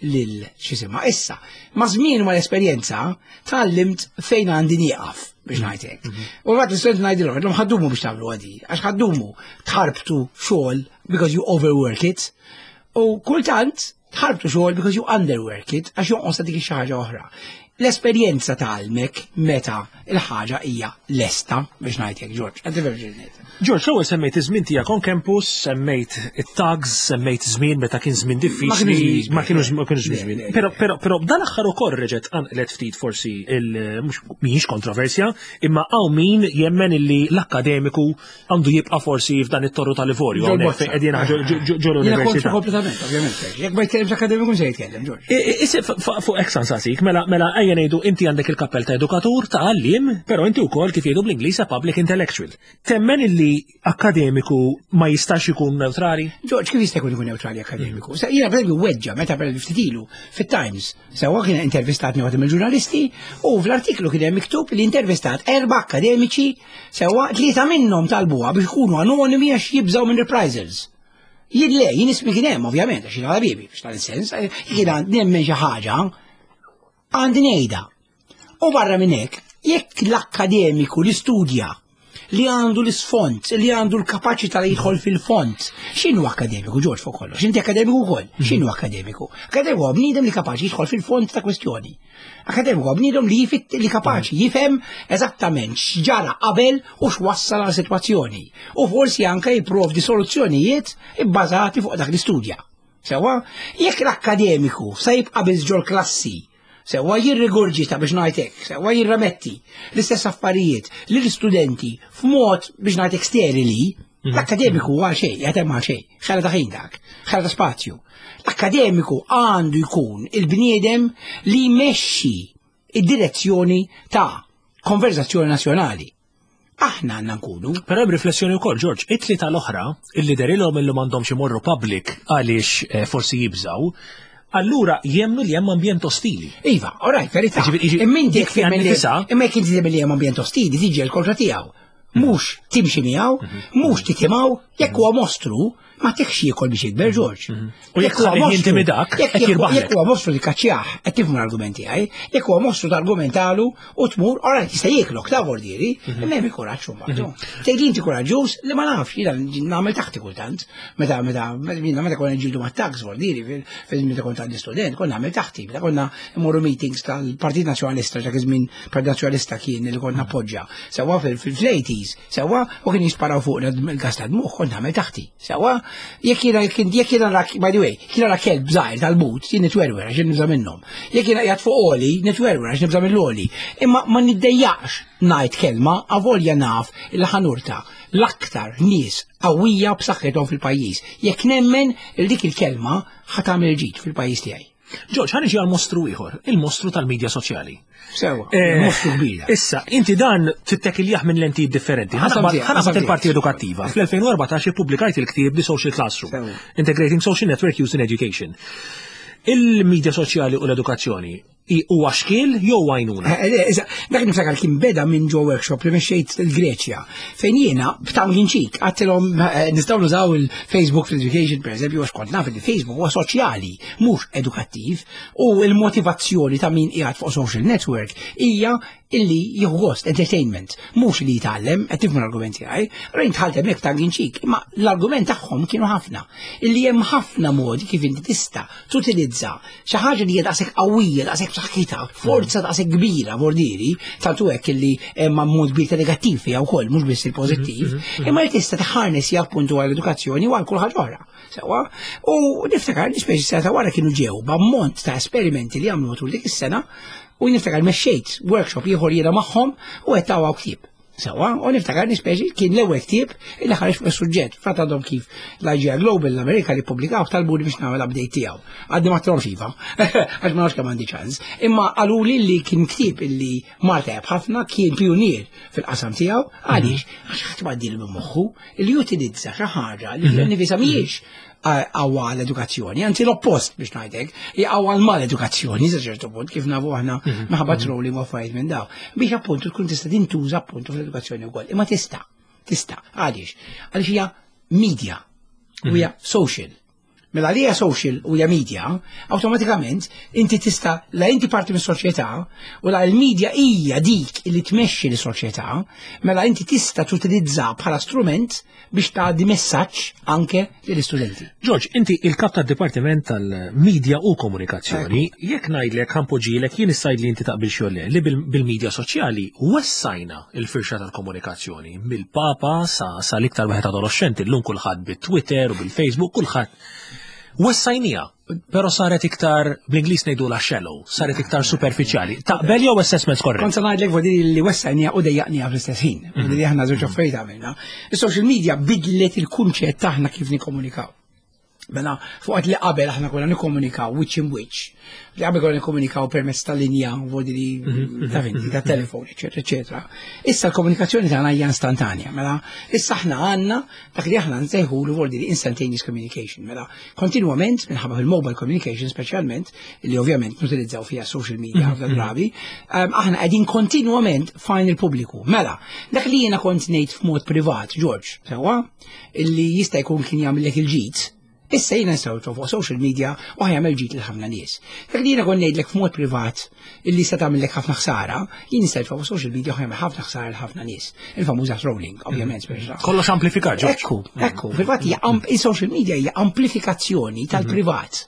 C: lil x'jisimha. Issa, ma' żmien ma' l-esperjenza, tgħallimt fejn għandi nieqaf biex ngħidlek. U għat l-istudent ngħidilhom, għedlhom ħa ddumu biex tagħmlu għadi, għax ħa ddumu tħarbtu xogħol because you overwork it. U kultant tħarbtu xogħol because you underwork it, għax jonqos ta' dik xi ħaġa oħra. L-esperjenza tgħallmek meta il-ħaġa hija lesta biex ngħidlek, George. Għaddi verġin.
B: George, l-ewwel semmejt iż-żmien tiegħek on campus, semmejt it-thugs, semmejt żmien meta kien żmien diffiċli, ma kienux ma kienux żmien. Però però però dan aħħar ukoll reġgħet qanqlet ftit forsi il mhux mhijiex kontroversja, imma hawn min jemmen illi l-akkademiku għandu jibqa' forsi f'dan it-torru tal-Livorju hawnhekk fejn qegħdin ġol università.
C: Kompletament, ovvjament. Jekk ma jitkellimx akademiku se jitkellem,
B: George. Fuq hekk sansasik, mela mela ejja ngħidu inti għandek il-kappell ta' edukatur ta' għalliem, però inti wkoll kif jgħidu bl-Ingliż public intellectual. Temmen illi akkademiku ma jistax ikun neutrali?
C: George, kif jista' jkun ikun neutrali akkademiku? Sa jiena per weġġa meta per ftit ilu fit-Times. Sewwa kien intervistatni waħda mill-ġurnalisti u fl-artiklu kien hemm miktub li intervistat erba' akkademiċi sewwa tlieta minnhom talbuha biex ikunu anonimi għax jibżgħu minn reprisals. Jien le, jien ismi kien hemm ovvjament għax jien ħabibi biex tal-sens, jien nemmen xi ħaġa għandi ngħidha. U barra minn hekk, jekk l-akkademiku li studja li għandu l-isfond, li għandu l-kapaċità li jidħol fil-fond. X'inhu akkademiku, George, fuq kollox? Inti akkademiku wkoll. X'inhu akkademiku? Akkademiku huwa bniedem li kapaċi jidħol fil-fond ta' kwestjoni. Akkademiku huwa bniedem li jifit li kapaċi jifhem eżattament x'ġara qabel u x'wassal għal sitwazzjoni. U forsi anke jipprovdi soluzzjonijiet ibbażati fuq dak l-istudja. Sewwa, jekk l-akkademiku se jibqa' biss ġol klassi sewwa jirrigurġita biex ngħidlek, sewwa jirremetti l-istess affarijiet li l-istudenti f'mod biex ngħidlek sterili, l-akkademiku għal xejn, jgħatem għal xejn, ħela ta' ħin dak, ħela ta' spazju. L-akkademiku għandu jkun il-bniedem li jmexxi id-direzzjoni ta' konverzazzjoni nazzjonali. Aħna għandna nkunu.
B: Però hemm riflessjoni wkoll, George, it-tlieta l-oħra illi derilhom illi m'għandhomx imorru public għaliex eh, forsi jibżaw, allura jemnu li hemm ambjent ostili.
C: Iva, all right, verità.
B: Ġifieri-
C: Imma inti
B: dik fiha
C: jekk
B: nifisha-
C: imma jekk inti li hemm ambjent ostili, tiġi l-kontra tiegħu. Mhux timxi miegħu, mhux titimgħu, jekk huwa mostru, ma tekx jiekol biex jikber George.
B: U jekk
C: huwa
B: tħallih
C: mostru-
B: jintimidak,
C: jekk-
B: qed jirbaħlek.
C: Jekk huwa mostru li kaċċjah, qed tifhmu l-argument tiegħi, jekk huwa mostru targumentalu u tmur, ora jista' jieklok ta' vordieri, imma hemm kuraġġ mbagħad. Tgħid inti kuraġġuż li ma nafx, jiena nagħmel taħti kultant. Meta meta meta meta konna nġildu mat-thugs vordieri fil meta kont għandi student, konna nagħmel taħti, meta konna mmorru meetings tal-Partit Nazzjonalista, dak iż-żmien Partit Nazzjonalista kien li konna appoġġja. Sewwa fil-eighties, sewwa u kien jisparaw fuq il-gas tad-dmugħ, kont nagħmel taħti. Sewwa jekk jiena jekk jiena rak, by the way, jekk jiena ra kelb żgħir tal-but, jien nitwerwer għax nibża' minnhom. Jekk jiena qiegħed fuq għoli, nitwerwer għax nibża' mill-għoli. Imma ma niddejjaqx ngħid kelma avolja naf il ħa nurta l-aktar nies qawwija b'saħħithom fil-pajjiż. Jekk nemmen il dik il-kelma ħa tagħmel ġid fil-pajjiż tiegħi.
B: George, ħa niġi għal mostru ieħor, il-mostru tal-medja soċjali.
C: Sewwa,
B: Eh,
C: mostru kbira.
B: Issa, inti dan tittekiljaħ minn lentijiet differenti.
C: Qasam tiegħek,
B: Ħa naqbad
C: qasam
B: il-parti
C: tiegħek.
B: edukattiva. Fl-elfejn u erbatax ippubblikajt il-ktieb The Social Classroom,
C: Sewwa.
B: Integrating Social Network Use in Education. Il-medja soċjali u l-edukazzjoni i- huwa xkiel jew għajnuna?
C: Eh, eh, eża, dak niftakar kien beda minn ġo workshop li mexxejt il-Greċja, fejn jiena b'tongue in cheek għedtilhom eh, nistgħu nużaw il-Facebook fl-education per eżempju, għax kont naf li Facebook huwa soċjali, mhux edukattiv, u l-motivazzjoni ta' min qiegħed fuq social network hija illi jieħu gost, entertainment, mhux li jitgħallem, qed tifhmu l-argument tiegħi, allura jien dħalt hemmhekk tongue in cheek, imma l-argument tagħhom kienu ħafna, illi hemm ħafna modi kif inti tista' tutilizza xi ħaġa li hija daqshekk qawwija, daqshekk b'saħħitha, forza daqshekk kbira vordieri, tantu hekk illi hemm ammont kbir ta' negattiv fiha wkoll, mhux biss il-pożittiv, imma li tista' tħarnes appuntu għall-edukazzjoni u għal kull ħaġa oħra. Sewwa, u niftakar li speċi sena ta' wara kienu ġew b'ammont ta' esperimenti li għamlu matul dik is-sena u niftakar mexxejt workshop ieħor jiena magħhom u qed taw ktieb. Sewwa, u niftakar nispeċi kien l-ewwel ktieb illi ħareġ fuq is-suġġett. Fatt għadhom kif l-I G I Global l-Amerika li ppubblikaw talbuni biex nagħmel update tiegħu. Għadni ma għedtilhomx iva, għax ma nafx kemm għandi ċans. Imma qaluli li kien ktieb illi mar tajjeb ħafna, kien pionier fil-qasam tiegħu, għaliex għax ħadd ma għaddielu minn moħħu li jutilizza xi ħaġa li fiha nifisha mhijiex għawa l-edukazzjoni, anzi l-oppost biex ngħidlek, għawa l-mal-edukazzjoni, sa ċertu punt, kif nafu aħna minħabba trolling u affarijiet minn daw. Biex appuntu tkun tista' tintuża appuntu fl-edukazzjoni wkoll. Imma tista', tista', għaliex? Għaliex hija media, u hija social. Mela li hija social u hija media, awtomatikament inti tista' la inti parti mis-soċjetà u la l-media hija dik li tmexxi l-soċjetà, mela inti tista' tutilizza bħala strument biex tgħaddi messaġġ anke lill-istudenti.
B: George, inti il-kap tad-Dipartiment tal-Media u Komunikazzjoni, jekk ngħidlek ħa npoġġilek jien issajt li inti taqbil xogħol li bil-media soċjali wessajna il-firxa tal-komunikazzjoni mill-papa sa sa l-iktar wieħed adolescenti llum kulħadd bit-Twitter u bil-Facebook kulħadd. Wessajnija, pero saret iktar, bl-Ingliż ngħidula shallow, saret iktar superfiċjali. Taqbel jew assessment korrett?
C: Kont se ngħidlek vodi li wessajnija u dejjaqnija fl-istess ħin. Vodi li aħna żewġ affarijiet għamilna. Is-social media bidlet il-kunċett tagħna kif nikkomunikaw. Mela, fuqat li qabel aħna konna nikkomunikaw wiċċ in wiċċ, li qabel konna nikkomunikaw permezz ta' linja, vodi li ta' finti, ta' telefon, eccetera, eccetera. Issa l-komunikazzjoni tagħna hija instantanja, mela, issa aħna għandna dak li aħna nsejħulu vodi li instantaneous communication, mela, kontinwament minħabba fil-mobile communication speċjalment, li ovvjament nutilizzaw fija social media ħafna drabi, aħna qegħdin kontinwament f'għajn il-pubbliku. Mela, dak li jiena kont ngħid f'mod privat, George, sewwa, illi jista' jkun kien jagħmellek il-ġid, issa jiena nsawtu fuq social media u ħa jagħmel ġid lil ħafna nies. Dak li jiena kont ngħidlek f'mod privat illi se tagħmellek ħafna ħsara, jien nista' fuq social media u ħa jagħmel ħafna ħsara lil ħafna nies. Il-famuża trolling, ovvjament, speċa.
B: Kollox amplifikat, George.
C: Ekku, ekku, fil-fatt hija il-social media hija amplifikazzjoni tal-privat.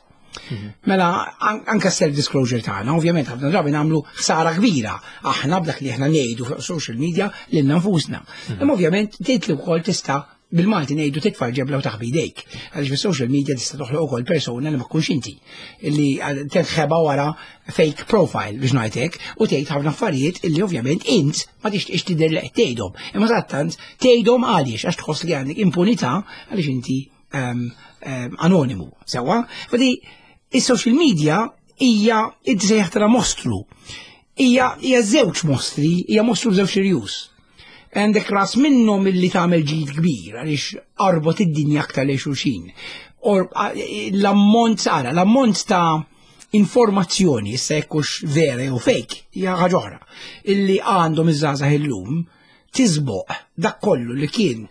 C: Mela, anka self-disclosure tagħna, ovvjament ħafna drabi nagħmlu ħsara kbira. Aħna b'dak li aħna ngħidu fuq social media lilna nfusna. Imma ovvjament tgħid li wkoll tista' bil-Malti ngħidu titfa' ġebla u taħbi jdejk. Għaliex fis-social media tista' toħloq ukoll persuna li ma tkunx inti illi tinħeba wara fake profile biex ngħidlek u tgħid ħafna affarijiet illi ovvjament int ma tixtieqx tidher li qed tgħidhom. Imma sattant tgħidhom għaliex għax tħoss li għandek impunità għaliex inti anonimu. Sewwa? Fadi is-social media hija inti sejjaħtha mostru. Hija hija żewġ mostri, hija mostru b'żewġ irjus. Għandek ras minnhom illi tagħmel ġid kbir għaliex arbot id-dinja aktar lejn xulxin. L-ammont ara, l-ammont ta' informazzjoni, issa jekkux vera jew fake, hija ħaġa oħra, illi għandhom iż-żgħażagħ illum tiżboq dak kollu li kien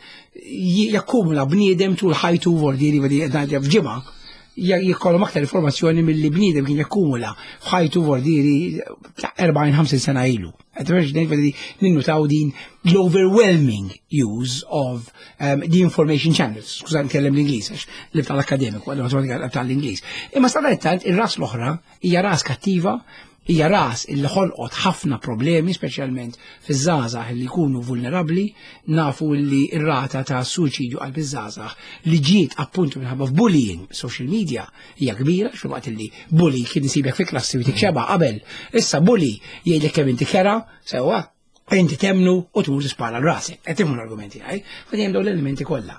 C: jakkumula bniedem tul ħajtu vordieri f'ġimgħa jkollhom aktar informazzjoni milli bniedem kien jakkumula f'ħajtu vordieri erbgħin ħamsin sena ilu. Ninnutaw din l-overwhelming use of um, the information channels. Skuża nitkellem l-Ingliż, għax li tal-akademiku, għal tal-Ingliż. Imma sadanittant ir-ras l-oħra hija ras kattiva, hija ras illi ħolqot ħafna problemi, speċjalment fiż-żgħażagħ li jkunu vulnerabbli, nafu li r-rata ta' suċidju qalb iż-żgħażagħ li ġiet appuntu minħabba f'bullying social media hija kbira, xi waqt li bully kien isibek fi klassi u tikxeba qabel. Issa bully jgħidlek kemm inti kera, sewwa, inti temnu u tmur tispara l-rasek. Qed tifhmu l-argumenti għaj, fa hemm dawn l-elementi kollha.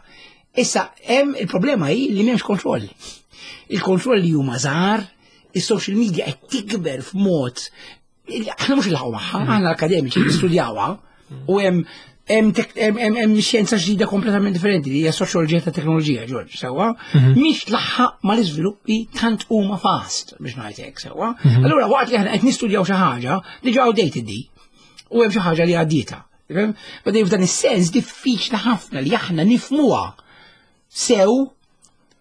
C: Issa hemm il-problema hi li m'hemmx kontroll. Il-kontroll li huma żgħar, is-social media qed tikber f'mod aħna mhux ilħaqu magħha, aħna l-akademiċi nistudjawha u hemm hemm hemm xjenza ġdida kompletament differenti li hija soċjoloġija ta' teknoloġija, George, sewwa, mhix tlaħħaq mal-iżviluppi tant huma fast biex ngħid hekk, sewwa. Allura waqt li aħna qed nistudjaw xi ħaġa diġà outdated di u hemm xi ħaġa li għaddietha. Bdej f'dan is-sens diffiċli ħafna li aħna nifhmuha sew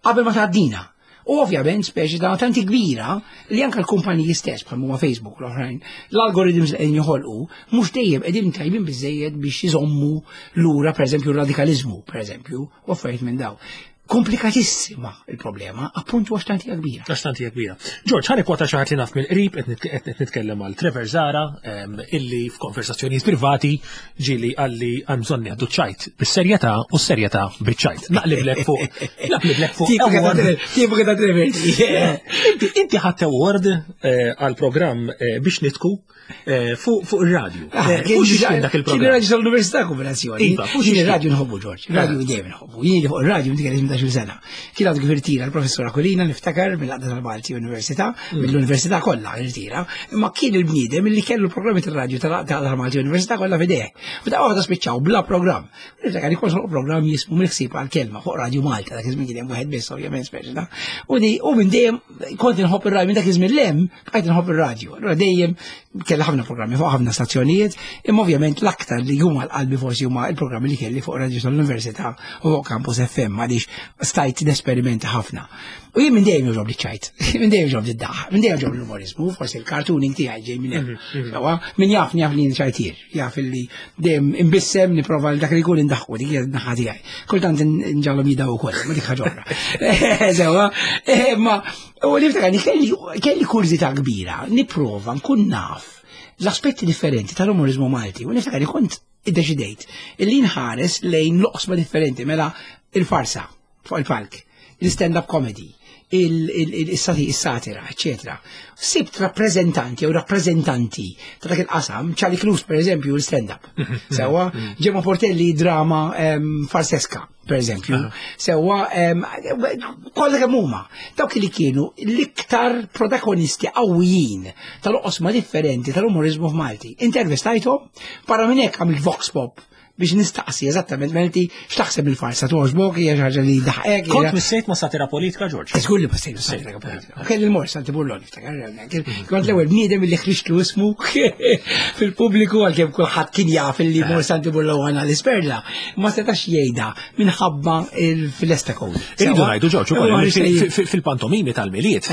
C: qabel ma tgħaddina. U ovvjament speċi ta' tanti kbira li anke l-kumpaniji stess bħal huma Facebook u l-oħrajn, l-algoritms li qegħdin joħolqu mhux dejjem qegħdin tajbin biżejjed biex iżommu lura pereżempju r-radikaliżmu, pereżempju, u affarijiet minn daw. Komplikatissima il-problema, appuntu għax tanti kbira.
B: Għax tanti kbira. George, ħa nikkwota xi ħadd li naf mill-qrib, qed nitkellem għal Trevor Zara, illi f'konversazzjonijiet privati ġieli qalli hemm bżonn nieħdu ċajt bis-serjetà u s-serjetà biċ-ċajt. Naqliblek fuq, naqliblek fuq.
C: Tipika ta' Trevor.
B: Inti inti ħadd award għal programm biex nitku fuq ir-radju. Fuq xiex kien dak il-programm?
C: Kien ir-radju tal-Università kombinazzjoni.
B: Iva, fuq
C: Jien
B: xiex
C: ir-radju nħobbu, George. Radio dejjem nħobbu. Jien fuq ir-radju inti kelli tmintax-il sena. Kien għadu kif irtira l-professor Aquilina niftakar mill-Għaqda tal-Malti Università, mill-Università kollha irtira, imma kien il-bniedem li kellu l-programmi tal-radju tal-Malti Università kollha f'idejh. U da waħda spiċċaw bla programm. Niftakar li kont programm jismu mill-ħsieb għall-kelma fuq Radio Malta, dak iż-żmien kien hemm wieħed biss ovvjament speċi ta' U di u minn dejjem kont inħobb ir-radju, minn dak iż-żmien lem bqajt inħobb ir-radju. Allura dejjem Kelli ħafna programmi fuq ħafna stazzjonijiet, imma ovvjament l-aktar li huma l-qalbi forsi huma il-programmi li kelli fuq Radio tal-Università u fuq Campus F M, għaliex stajt nesperimenta ħafna. U jien minn dejjem jogħġobni ċajt, minn dejjem jogħġobni d-daħ, minn dejjem jogħġobni l-umorizmu, forsi l-cartooning tiegħi ġej minn hemm. Sewwa, min jaf jaf li ċajtier, jaf li dejjem imbissem nipprova dak li jkun indaħħu dik hija n-naħa tiegħi. Kultant nġagħalhom jidaw ukoll, ma dik ħaġa oħra. Sewwa, imma u niftakar kelli kelli kurżità kbira, nipprova nkun naf l-aspetti differenti tal-umorizmu Malti, u niftakar li kont iddeċidejt illi nħares lejn loqsma differenti, mela il-farsa fuq il-palk, il-stand-up comedy, il-satira, eccetera. Sibt rappreżentanti jew rappreżentanti ta' dak il-qasam, Charlie Cruz per eżempju, il-stand-up. Sewwa, Gemma Portelli drama farseska, per eżempju. Sewwa, kollha kemm huma. Dawk li kienu l-iktar protagonisti qawwijin tal-oqsma differenti tal-umorizmu f'Malti. Intervistajthom, barra minn hekk għamilt vox pop biex nistaqsi eżattament menti x'taħseb il-farsa togħġbok, hija xi ħaġa li daħqek.
B: Kont missejt ma' satira politika, George?
C: Żgur li missejt ma' satira politika. Kelli l-mor Santi Burlon, niftakar, kont l-ewwel bniedem li ħriġtlu ismu fil-pubbliku, għalkemm kulħadd kien jaf li mor Santi Burlon għal isperla, ma setax jgħidha minħabba fil-Esta Code.
B: Irridu ngħidu, George, ukoll fil-pantomimi tal-Milied.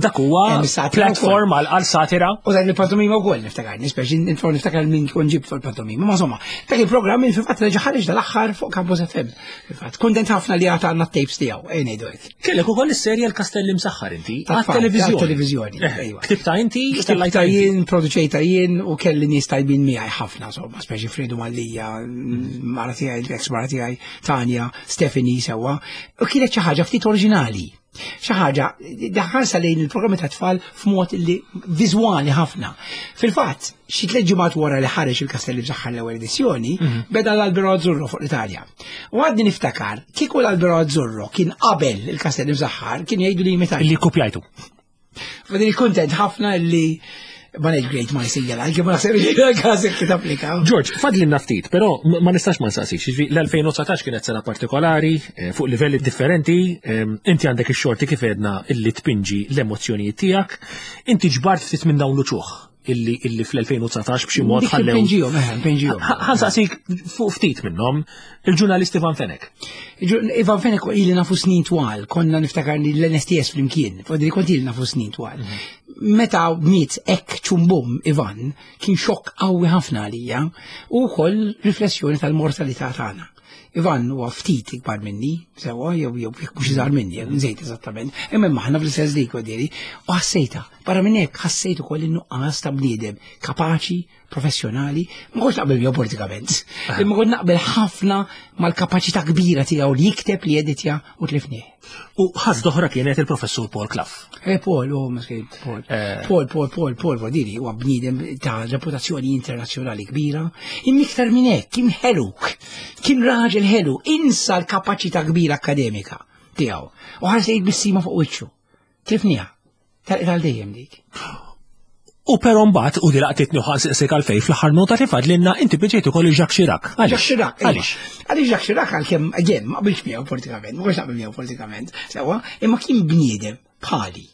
B: Dak huwa platform għal satira.
C: U dak il-pantomima wkoll niftakar, nispeċi niftakar min kont ġibt fil-pantomima, ma insomma, dak il-programm fil-fatt reġa' ħareġ dal-aħħar fuq Campus F M. Fil-fatt, kuntent ħafna li għad għandna t-tapes tiegħu, ejn ngħidu hekk.
B: Kellek ukoll is-serje l-Kastelli Msaħħar inti, għat-televiżjoni.
C: Għat-televiżjoni, ejwa.
B: Ktibta inti,
C: ktibta jien, produċejta jien u kelli nies tajbin miegħi ħafna, insomma, speċi Fredu Mallija, mara tiegħi, l-ex mara tiegħi, Tanja, Stephanie sewwa. U kienet xi ħaġa ftit oriġinali. Xi ħaġa daħħalsa lejn il-programmi ta' tfal f'mod li viżwali ħafna. Fil-fatt, xi tliet ġimgħat wara li ħareġ il-Kastelli Msaħħar l-ewwel edizzjoni, beda l-Albero Azzurro fuq l-Italja. U għadni niftakar, kieku l-Albero Azzurro kien qabel il-Kastelli Msaħħar, kien jgħidu li imitajtu.
B: Li kopjajtu.
C: Fadili kuntent ħafna li ma ngħid great ma jsejjel, għalkemm ma naħseb li l-każ hekk tapplika.
B: George, fadlinna ftit, però ma nistax ma nsaqsix. Jiġifieri l-elfejn u dsatax kienet sena partikolari, fuq livelli differenti, inti għandek ix-xorti kif għedna illi tpinġi l-emozzjonijiet tiegħek, inti ġbart ftit minn dawn l-uċuħ illi illi fl-elfejn u dsatax b'xi mod ħallew.
C: Pinġihom, eħe, pinġihom.
B: Ħansaqsik fuq ftit minnhom, il-ġurnalist Ivan Fenech.
C: Ivan Fenech ili nafu snin twal, konna niftakar li l-N S T S flimkien, fodri kont ili nafu snin twal. Meta miet hekk ċumbum Ivan, kien xokk qawwi ħafna għalija u wkoll riflessjoni tal-mortalità tagħna. Ivan huwa ftit ikbar minni, sewwa, jew jew jekk mhux iżgħar minni, jew nżejt eżattament, imma aħna fl-istess dik diri, u ħassejta, barra minn hekk ħassejt ukoll in-nuqqas ta' bniedem kapaċi, professjonali, ma kontx naqbel miegħu politikament, imma kont naqbel ħafna mal-kapaċità kbira tiegħu li jikteb, li jeditja u tlifnieh.
B: U ħadd oħra kienet il-professur Paul Clough.
C: Eh, Paul, oh, miskin, Paul. Paul, Paul, Paul, Paul, Paul, diri, huwa bniedem ta' reputazzjoni internazzjonali kbira, imma iktar minn hekk kien ħelu, kien raġel ħelu, insa l-kapaċità kbira akademika tiegħu. U ħarsejt bissima fuq wiċċu. Tlifniha, tal dejjem dik.
B: U però mbagħad u di laqtitni u ħansaqsik għalfejn fl-aħħar nota li fadlilna inti biġejt ukoll Jacques Chirac. Għaliex?
C: Jacques Chirac, iva.
B: Għaliex?
C: Għaliex Jacques Chirac għalkemm, again, ma qbilx miegħu politikament, ma kontx naqbel miegħu politikament, sewwa, imma kien bniedem bħali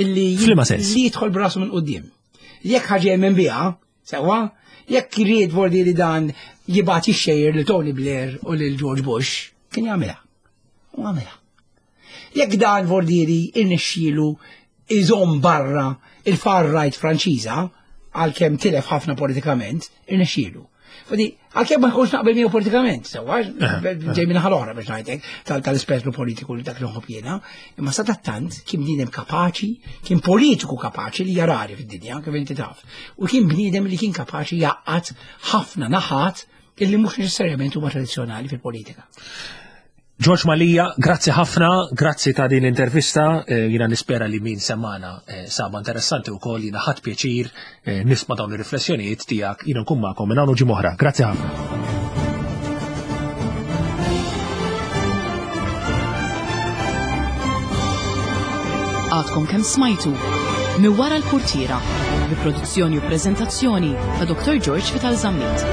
C: illi
B: F'liema sens?
C: li jidħol b'rasu minn quddiem. Jekk ħaġa jemmen biha, sewwa, jekk irid vordi li dan jibgħat jixxejjer lil Tony Blair u lil George Bush, kien jagħmilha. U għamilha. Jekk dan vordieri irnexxielu iżomm barra il-far right Franċiża, għalkemm tilef ħafna politikament, irnexxielu. Fadi, għalkemm ma nkunx naqbel miegħu politikament, sewwa, ġej minn ħal oħra biex ngħidlek, tal-ispettru politiku li dak li nħobb jiena, imma sadattant kien bniedem kapaċi, kien politiku kapaċi li jarari fid-dinja, kif inti taf. U kien bniedem li kien kapaċi jaqgħad ħafna naħat illi mhux neċessarjament huma tradizzjonali fil-politika.
B: George Mallia, grazzi ħafna, grazzi ta' din l-intervista, eh, jina nispera li min semmana, eh, saba interessanti u koll, jina ħadd pjaċir, eh, nisma' dawn ir-riflessjonijiet tiegħek, jina nkun magħkom minn hawn u ġimgħa oħra. Grazzi ħafna.
A: Għadkom kemm smajtu Minn wara l-Purtiera, bi produzzjoni u preżentazzjoni ta' Doktor George Vital Zammit.